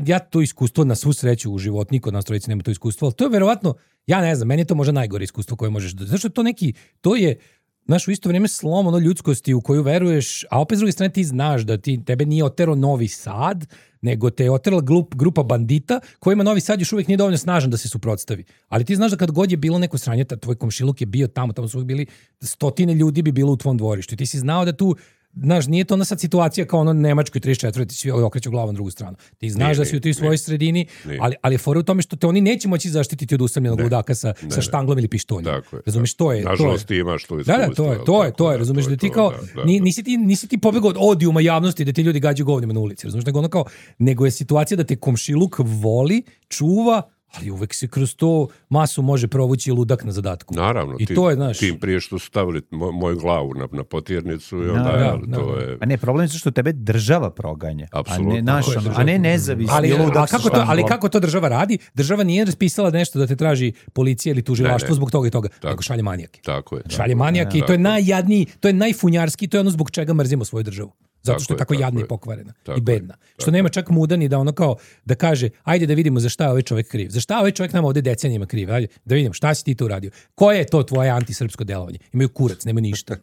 ja to iskustvo na svu sreću u životu, niko od nas trojice nema to iskustvo, ali to je verovatno, ja ne znam, meni je to možda najgore iskustvo koje možeš da... Zašto to je, znaš, u isto vrijeme slom ljudskosti u koju veruješ, a opet s druge strane ti znaš da tebe nije otero Novi Sad, nego te je oterala grupa bandita kojima Novi Sad još uvijek nije dovoljno snažan da se suprotstavi. Ali ti znaš da kad god je bilo neko sranje, tvoj komšiluk je bio tamo su uvijek bili stotine ljudi bi bilo u tvom dvorištu. I ti si znao da tu, znaš, nije to ona sad situacija kao ono Nemačkoj 34. ti svi okreću glavom na drugu stranu. Ti znaš da si u toj svojoj sredini, ali je fora u tome što te oni neće moći zaštititi od usamljenog ludaka sa štanglom ili pištoljem. Razumiješ, to je. Nažalost ti imaš to iskustvo. Da, to je. Razumiješ da ti kao, nisi ti pobegao od odijuma javnosti da ti ljudi gađaju govnima na ulici. Razumiješ, nego je situacija da te komšiluk voli, čuva, ali uvek se kroz to masu može provući ludak na zadatku. Naravno, i to je, znaš, tim prije što su stavili moju glavu na potirnicu i onda to je... A ne, problem je što tebe država proganja. Apsolutno. A ne nezavisni ludak. Ali kako to država radi? Država nije raspisala nešto da te traži policija ili tužilaštvo zbog toga i toga, nego šalje manijake. Tako je. Šalje manijake i to je najjadniji, to je najfunjarski, to je ono zbog čega mrzimo svoju državu. Zato što je tako jadna i pokvarena i bedna. Što nema čak mudan i da ono kao da kaže ajde da vidimo za šta je ovaj čovjek kriv. Za šta je ovaj čovjek nama ovdje decenijama kriv? Ajde da vidimo šta si ti tu uradio. Koje je to tvoje antisrpsko delovanje? Imaju kurac, nema ništa.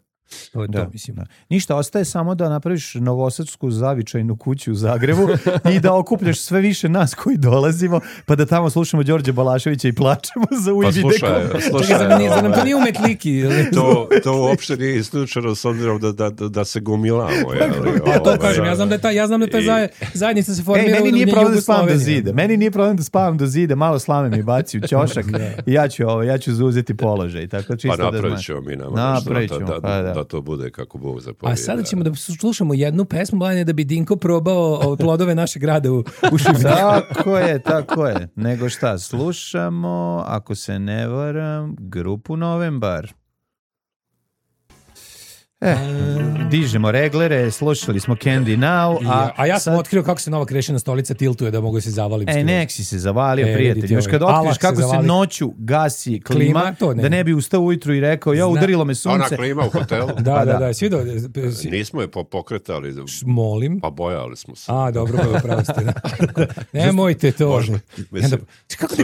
To je to, mislim. Ništa, ostaje samo da napraviš novosadsku zavičajnu kuću u Zagrebu i da okupljaš sve više nas koji dolazimo, pa da tamo slušamo Đorđe Balaševića i plačemo za Uividekom. Slušaj, zar nam to nije umetliki? To uopšte nije isključeno s obzirom da se gomilamo. Ja to kažem, ja znam da ta zajednica se formira. Meni nije problem da spavam do zida. Meni nije problem da spavam do zida, malo slame mi baci u ćošak i ja ću zauzeti položaj. Tako, čisto pa napravit ćemo mi nama da to bude kako Bog zapovijeda. A sada ćemo da slušamo jednu pesmu, Blane, da bi Dinko probao plodove našeg grada u Šibeniku. Tako je. Nego šta, slušamo, ako se ne varam, grupu Novembar. Dižemo reglere, slušali smo Candy Now. A ja sam otkrio kako se nova krešena stolica tiltuje da mogu se zavalim. Nek si se zavalio, prijatelj. Još kad otkriš kako se noću gasi klima, da ne bi ustao ujutru i rekao, udarilo me sunce. Ona klima u hotelu. Da. Nismo je pokretali. Molim. Pa bojali smo se. Dobro, pravostite. Nemojte to. Kako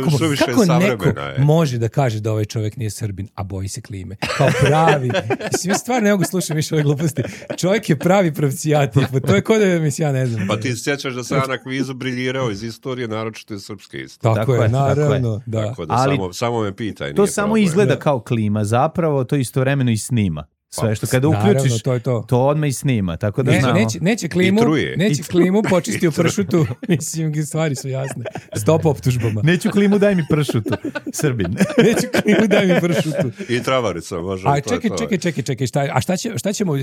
neko može da kaže da ovaj čovjek nije Srbin, a boji se klime? Kao pravi. Svi stvarno ne mogu slušati više ove gluposti. Čovjek je pravi pravcijat. To je kod da ja ne znam. Pa ti sjećaš da sam ja na kvizu briljirao iz istorije, naročito iz srpske istorije. Tako je, naravno. Tako da samo me pitaj. To samo izgleda kao klima. Zapravo to istovremeno i snima. Sve što kada uključiš, to odmah i snima. Tako da znamo. Neće klimu počistiti u pršutu. Mislim, stvari su jasne. Stop optužbama. Neću klimu, daj mi pršutu. Srbin. Neću klimu, daj mi pršutu. I travarica, može. A čekaj.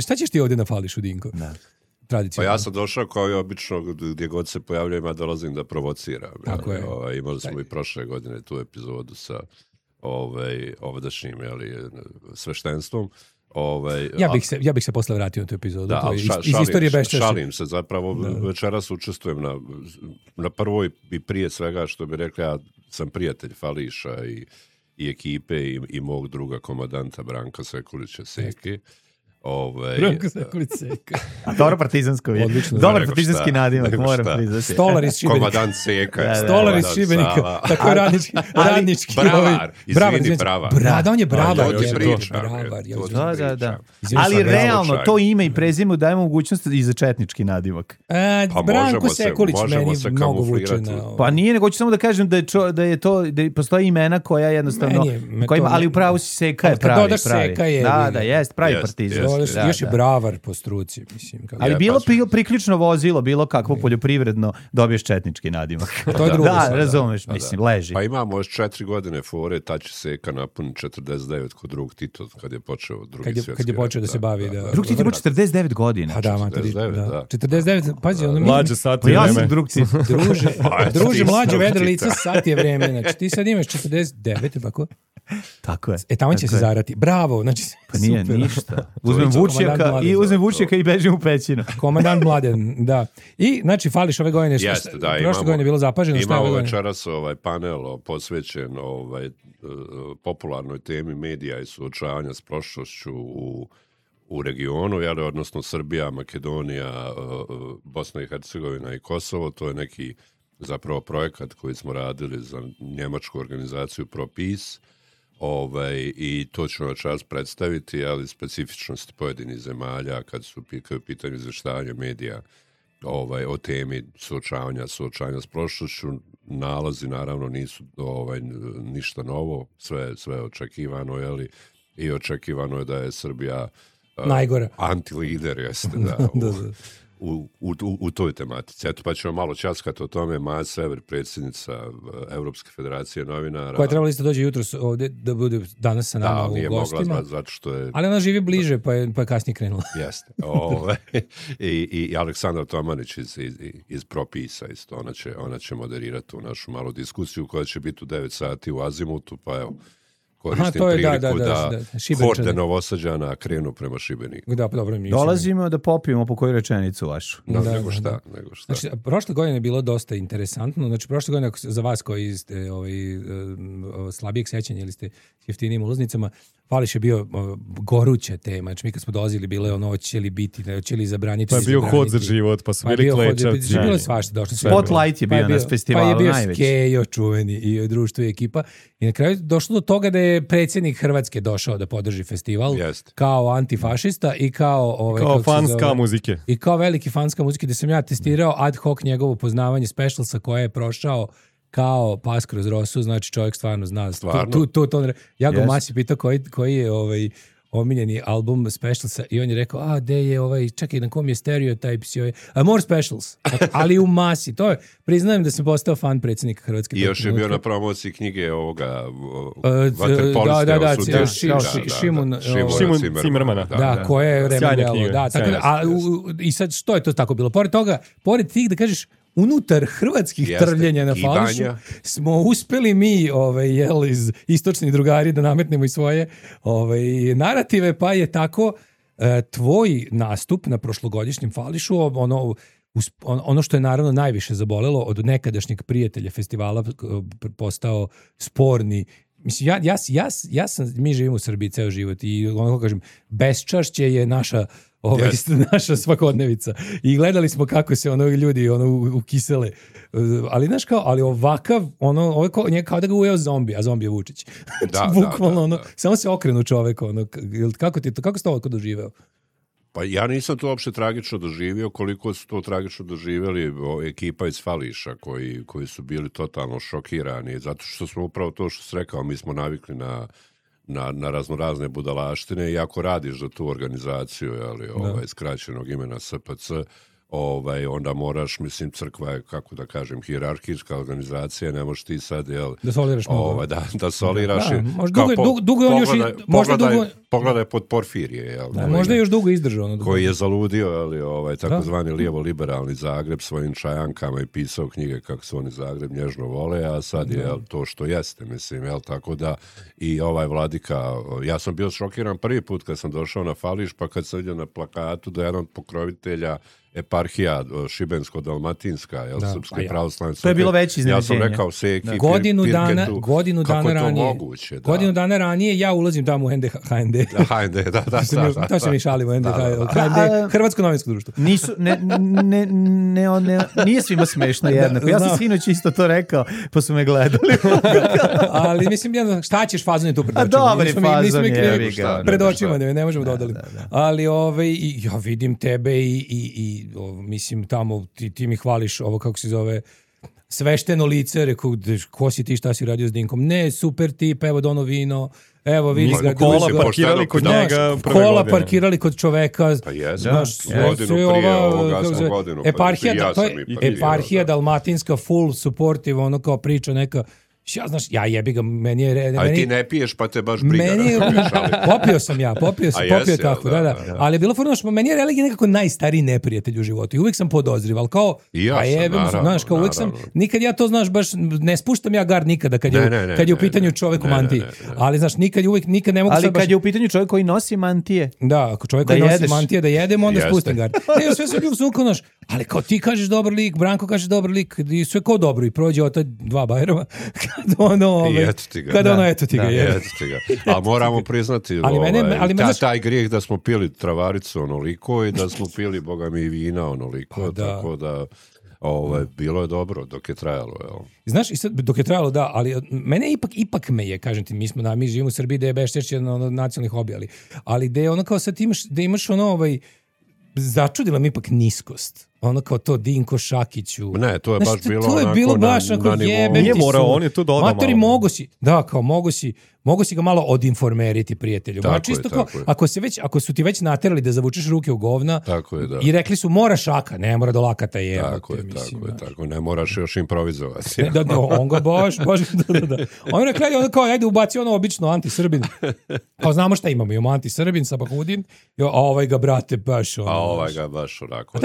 Šta ćeš ti ovdje nafališ u Dinko? Pa ja sam došao kao i obično gdje god se pojavljujem, ja dolazim da provociram. Tako je. Imali smo i prošle godine tu epizodu sa ovdašnjim sveštenstvom. Ja bih se posle vratio na tu epizodu. Da, iz istorije beščašća. Šalim se, zapravo večeras učestvujem na prvoj i prije svega, što bi rekli, ja sam prijatelj Fališa i ekipe i mog druga komandanta Branka Sekulića Seki. Branko Sekulić Seka. A dobro partizansko je. Dobar partizanski nadimak, moram priznati. Stolar iz Šibenika. Komandant Seka. Stolar iz Šibenika. Tako je radnički. Bravar. Izvini, bravar. Da, on je bravar. Da. Ali realno, to ime i prezime daje mogućnost i za četnički nadimak. Branko Sekulić meni mnogo vuče na... Pa nije, nego ću samo da kažem da postoje imena koja jednostavno... Ali upravo si Seka je pravi. Da, jest, pravi partizan. Još je bravar po struci, mislim. Ali bilo priključno vozilo, bilo kakvo poljoprivredno, dobiješ četnički nadimak. To je drugo. Da, razumeš, mislim, leži. Pa imamo još 4 godine fore, ta će Seka napuni 49 kod drugog Tito, kad je počeo drugi svjetski rat. Kad je počeo da se bavi. Drug Tito je 49 godina. Pa da, 49, pazi, ono mi... Mlađe sat je vreme. Ja sam drug Tito. Druže, mlađe vedre lice, sat je vreme. Znači, ti sad imaš 49, tako? Tako je. Tamo će se zarati. Bravo, znači pa nije super. Ništa. Uzmem Vučjaka i bežim u pećinu. Komandant Mladen, da. I znači Fališ ove godine prošle godine je bilo zapaženo. Imamo večeras panel posvećen popularnoj temi medija i suočavanja s prošlošću u regionu, odnosno Srbija, Makedonija, Bosna i Hercegovina i Kosovo. To je neki zapravo projekat koji smo radili za njemačku organizaciju ProPeace. I to ćemo večeras predstaviti, ali specifičnosti pojedinih zemalja kad su u pitanju izvještavanja medija o temi suočavanja s prošlošću. Nalazi naravno nisu ništa novo, sve očekivano, i očekivano je da je Srbija najgora antilider, jeste, da. U toj tematici. Eto, pa ćemo malo časkati o tome. Maja Sever, predsjednica Evropske federacije novinara. Koja je trebala isto dođe jutros ovdje da bude danas sa nama u gostima. Da, nije mogla zato što je... Ali ona živi bliže, pa je kasnije krenula. Jeste. I Aleksandar Tomanić iz ProPeace-a isto. Ona će moderirati tu našu malu diskusiju koja će biti u 9 sati u Azimutu, pa evo, koristim priliku da horde Novosađana krenu prema Šibeniku. Da, dobro, dolazimo da popijemo po koju rečenicu vašu. Nego šta. Znači, prošle godine je bilo dosta interesantno. Znači, prošle godine, za vas koji ste slabijeg sećanja ili ste jeftinijim ulaznicama, Fališ je bio goruća tema. Znači, mi kad smo dolazili, bilo je hoće li biti, hoće li zabraniti. Pa je bio hod za život, pa su bili klečavci. Bilo je svašta došlo. Spotlight je bio na festivalu najveći. Pa je bio Skejo čuveni i društvo i ekipa. I na kraju došlo do toga da je predsjednik Hrvatske došao da podrži festival kao antifašista i kao fanska muzike. I kao veliki fanska muzike, da sam ja testirao ad hoc njegovo poznavanje specialsa koje je prošao kao pas kroz rosu, znači čovjek stvarno zna. Ja ga masi pitao koji je omiljeni album Specialsa i on je rekao, gde je čekaj, na kom je Stereotypes i More Specials, ali u masi. To je, priznajem da sam postao fan predsjednika Hrvatske. I još je bio na promociji knjige ovoga Šimun Cimrmana. Da, koje je remedelo. I sad, što je to tako bilo? Pored tih, da kažeš, unutar hrvatskih trvljenja na Fališu smo uspeli mi iz istočnih drugari da nametnemo i svoje narative, pa je tako tvoj nastup na prošlogodišnjem Fališu, ono što je naravno najviše zabolelo od nekadašnjeg prijatelja festivala postao sporni. Mislim, mi živimo u Srbiji ceo život i ono kažem, beščašće je naša svakodnevica. I gledali smo kako se ljudi ukisele. Ali znaš ali ovakav, kao da ga ujeo zombi, a zombi je Vučić. Bukvalno, samo se okrenu čovek. Kako ste ovo doživeo? Pa ja nisam to uopšte tragično doživio, koliko su to tragično doživjeli ekipa iz Fališa koji su bili totalno šokirani, zato što smo upravo to što si rekao, mi smo navikli na raznorazne budalaštine i ako radiš za tu organizaciju skraćenog imena SPC, onda moraš, mislim, crkva je, kako da kažem, hijerarhijska organizacija, ne možeš ti sad, da soliraš mnogo. Da soliraš. Pogledaj pod Porfirije. Možda je još dugo izdržao. Koji je zaludio, takozvani lijevo-liberalni Zagreb svojim čajankama i pisao knjige kako su oni Zagreb nježno vole, a sad je to što jeste, mislim, tako da i vladika, ja sam bio šokiran prvi put kad sam došao na Fališ, pa kad sam vidio na plakatu da je jedan od pokrovitelja eparhija Šibensko-Dalmatinska, Srpske pravoslavne crkve. To je bilo veće iznenađenje. Ja sam rekao Seki, godinu dana ranije ja ulazim tamo u HND. To se mi šalimo, HND, Hrvatsko novinsko društvo. Nije svima smešno jednako. Ja sam sinoć isto to rekao, pa su me gledali. Ali mislim, šta ćeš, fazon je tu pred očima. Dobri fazon je. Pred očima, ne možemo da odalim. Ali ja vidim tebe i mislim tamo ti mi hvališ ovo kako se zove svešteno lice, rekao ko si ti, šta si radio s Dinkom, ne, super tip, evo dono vino, evo vidi ga, kola parkirali kod čoveka, pa godinu prije ovoga sam godinu, eparhija dalmatinska, full supportive, ono kao priča neka. Ja jebi ga, meni je... Ali ti ne piješ, pa te baš briga. Popio sam tako, da. Ali je bilo forno, meni je religija nekako najstariji neprijatelj u životu i uvijek sam podozriv, ali kao... I ja sam, naravno. Uvijek sam, nikad ja to, znaš, baš ne spuštam ja gard nikada kad je u pitanju čovjek u mantiji. Ali, znaš, nikad ne mogu... Ali kad je u pitanju čovjek koji nosi mantije... Da, ako čovjek koji nosi mantije da jedemo, onda spustim gard. Ne, sve sam ljubo naš, ali kao ti kažeš dobar lik, Branko kaže dobar lik, i sve kao dobro i prođe od 2 Bajrama. Eto ti ga. A moramo priznati taj grijeh da smo pili travaricu onoliko i da smo pili, boga mi, vina onoliko, tako da bilo je dobro dok je trajalo. Znaš, dok je trajalo, da, ali mene ipak me je, kažem ti, mi živimo u Srbiji da je Bešćeš jedan od nacionalnih hobi, ali da je ono kao sad imaš ono začudila mi ipak niskost. Ono kao to Dinko Šakiću. Ne, to je baš bilo onako. To je bilo baš onako jebe. Nije morao, on je tu dodao malo. Matori, mogu si ga malo odinformeriti, prijatelju. Tako čisto kao, ako su ti već naterali da zavučeš ruke u govna i rekli su mora šaka, ne mora do lakata je. Tako, ne moraš još improvizovati. On ga baš, da. On je rekli, kao, ajde ubaci ono obično anti-Srbin. Kao znamo šta imamo, imamo anti-Srbin, Sabahudin, a ovaj ga, brate, baš ono. A ovaj ga baš onako.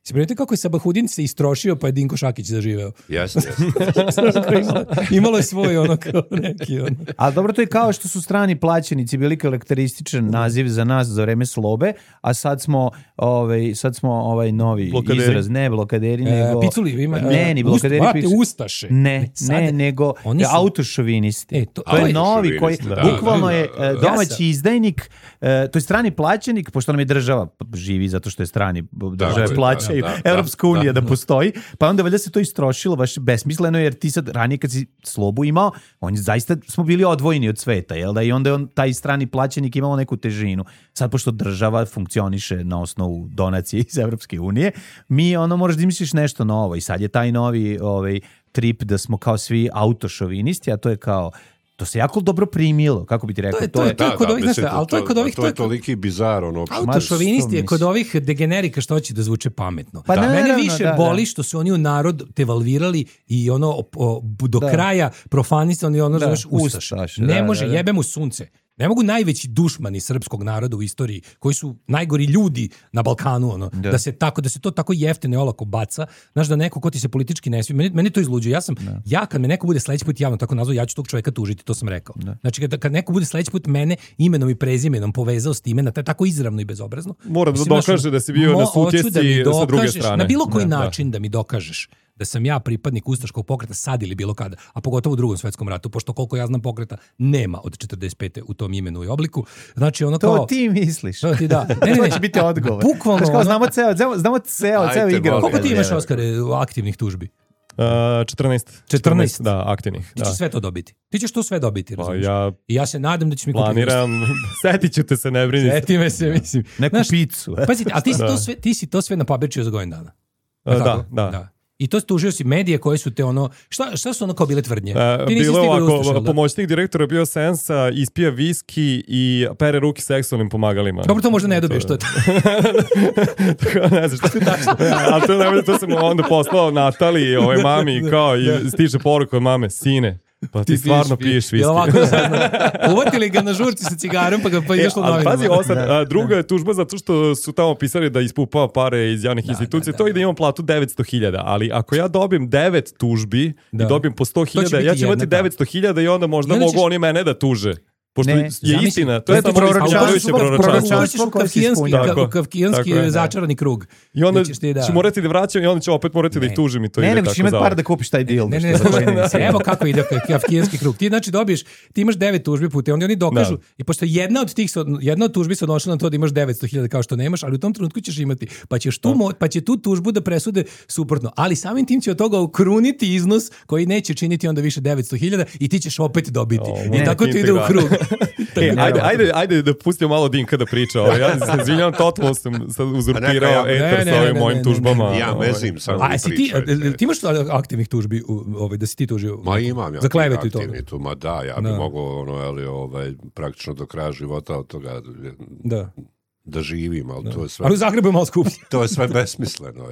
Si primetio kako je Sabahudin se istrošio pa je Dinko Šakić zaživeo? Jeste. Imalo je svoj ono kao neki ono. Ali dobro, to je kao što su strani plaćenici bili karakterističan naziv za nas za vreme slobe, a sad smo novi blokaderi. Izraz, ne blokaderi, nego... Piculi, ima... Ne, ni blokaderi. Ustaše. Ne, nego autošovinisti. To je novi koji, bukvalno je domaći izdajnik, to je strani plaćenik, pošto nam je država živi zato što je strani, države plaćaju, Europska unija da postoji, pa onda valjda se to istrošilo baš besmisleno, jer ti sad ranije kad si slobu imao, zaista smo bili odvojeni od sveta, jel da? I onda je taj strani plaćenik imao neku težinu. Sad, pošto država funkcioniše na osnovu donacije iz Europske unije, mi moraš da misliš nešto novo i sad je taj novi trip da smo kao svi autošovinisti, a to je kao to se jako dobro primilo, kako bi ti rekao. To je kod ovih, to je toliki bizar. Autošovinisti je kod ovih degenerika što hoće da zvuče pametno. Mene više boli što su oni u narod devalvirali i do kraja profanisali ustaš. Ne može, jebe mu sunce. Ne mogu najveći dušmani srpskog naroda u istoriji, koji su najgori ljudi na Balkanu, da se to tako jeftino i olako baca, znaš, da neko ko ti se politički ne smije, meni to izluđuje. Ja kad me neko bude sledeći put javno tako nazvao, ja ću tog čovjeka tužiti, to sam rekao. Znači, kad neko bude sledeći put mene imenom i prezimenom povezao s time, tako izravno i bezobrazno. Moram da dokaže da si bio na sutjesci sa druge strane. Na bilo koji način da mi dokažeš da sam ja pripadnik ustaškog pokreta sad ili bilo kada, a pogotovo u Drugom svjetskom ratu, pošto koliko ja znam pokreta nema od 45. u tom imenu i obliku. Znači ono kao... To ti misliš. To ti da. To će biti odgovor. Bukvalno. Znamo ceo igrao. Koliko ti imaš, Oskare, aktivnih tužbi? 14, da, aktivnih. Ti ćeš sve to dobiti. Ti ćeš to sve dobiti, razumiješ? I ja se nadam da ćeš mi kupiti. Planiram, setit ću te se, ne brini. Seti me se, mislim. Neku picu. Pazite, a ti si to sve napabirčio za godinu dana. Da. I to tužio si medije koje su te ono... Šta su ono kao bile tvrdnje? Bilo ovako, pomoćnik direktora bio Sensa, ispija viski i pere ruki seksualnim pomagalima. Dobro, to možda ne dobiješ to. Ne znam šta. Ali to sam onda poslao Nataliji, mami, kao i stiže poruka od mame, sine, pa ti stvarno piješ viski. Uvatili ga na žurci sa cigarom pa izašlo novinama. Pazi, druga je tužba zato što su tamo pisali da ispupava pare iz javnih institucija. To i da imam platu 900.000, ali ako ja dobijem 9 tužbi i dobijem po 100.000, ja ću imati 900.000 i onda možda mogu oni mene da tuže. Pošto je istina, to je samo proročanstvo. Kafkijanski začarani krug. I onda ću morati da vraćam i onda ću opet morati da ih tužim i to ide tako. Ne, ćeš imati par da kupiš taj deal. Evo kako ide kafkijanski krug. Ti znači dobiješ, ti imaš 9 tužbi puta, onda oni dokažu i pošto jedna od tužbi se odnošla na to da imaš 900.000 kao što nemaš, ali u tom trenutku ćeš imati, pa će tu tužbu da presude suprotno, ali samim tim će od toga ukruniti iznos koji neće činiti onda više 900.000 i ti ćeš opet dobiti. I tako ti ide u krug. Ajde da pustimo malo Dinka da priča. Ja se izvinjam, totalno sam uzurpirao eter sa ovim mojim tužbama. Ja mezim samo ti imaš aktivnih tužbi da si ti tužio? Ma imam ja za klevetu i to. Ma da, ja bi mogao praktično do kraja života od toga da živim, ali to je sve... Ali u Zagrebu je malo skuplje. To je sve besmisleno,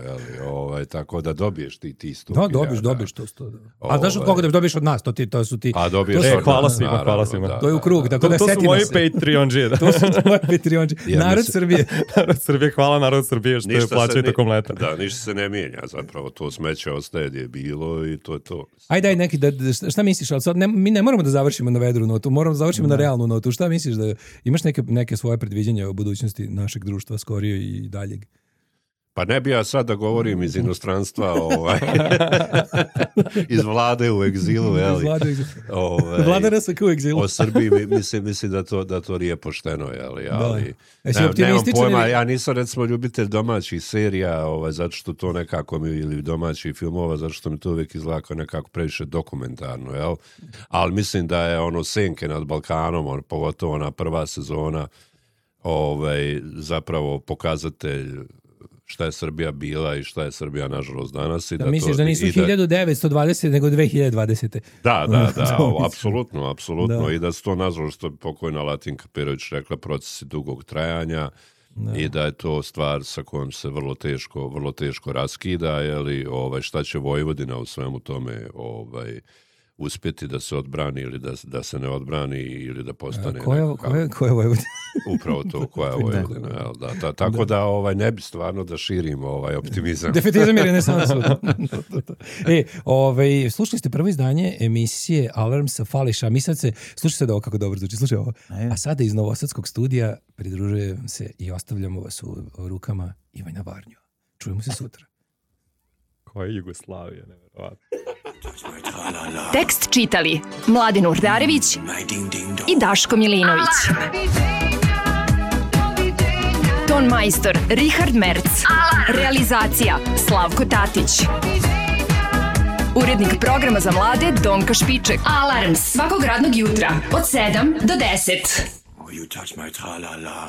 tako da dobiješ ti 100.000. Da, dobiješ to 100. A znaš od koga da dobiješ od nas? To su ti... A dobiješ od nas. Hvala svima. To je u krug, tako da setimo se. To su moji Patreonđije. To su moji Patreonđije. Narod Srbije. Narod Srbije, hvala narod Srbije što je plaćaju tokom leta. Da, ništa se ne mijenja, zapravo to smeće ostaje gdje je bilo i to je to. Ajde, daj neki, šta misliš, ali sad mi ne moramo da završimo na vedru notu, moramo da završimo na realnu notu. Šta misliš da imaš neke svoje predviđanja o budućnosti našeg društva, skorije i daljeg? Pa ne bi ja sad da govorim iz inostranstva, iz vlade u egzilu, Vlada RSK u egzilu. O Srbiji mislim da to nije pošteno, ali nemam pojma, ja nisam recimo ljubitelj domaćih serija, zato što to nekako ili domaćih filmova, zato što mi to uvijek izgleda nekako previše dokumentarno, ali mislim da je Senke nad Balkanom, pogotovo ona prva sezona, zapravo pokazatelj šta je Srbija bila i šta je Srbija nažalost danas. Da misliš da nisu 1920 nego 2020. Da, apsolutno. I da su to nažalost pokojna Latinka Perović rekla procesi dugog trajanja i da je to stvar sa kojom se vrlo teško raskida, šta će Vojvodina u svemu tome uspjeti da se odbrani ili da se ne odbrani ili da postane... Koja je Vojvodina? Upravo to, koja je Vojvodina. Tako da ne bi stvarno da širim optimizam. Defetizam jer je ne samo sud. Slušali ste prvo izdanje emisije Alarm sa Fališa. Slušaj sad ovo kako dobro zvuči. Slušaj ovo. A sada iz Novosadskog studija pridružujem se i ostavljamo vas u rukama Ivana Varnju. Čujemo se sutra. Koja je Jugoslavija, nevjerovatno. Tekst čitali Mladen Urdarević i Daško Milinović. Ton majstor Richard Merc. Realizacija Slavko Tatić. Urednik programa za mlade Donka Špiček. Alarms svakog radnog jutra od 7 do 10. Oh, you touch my tra-la-la.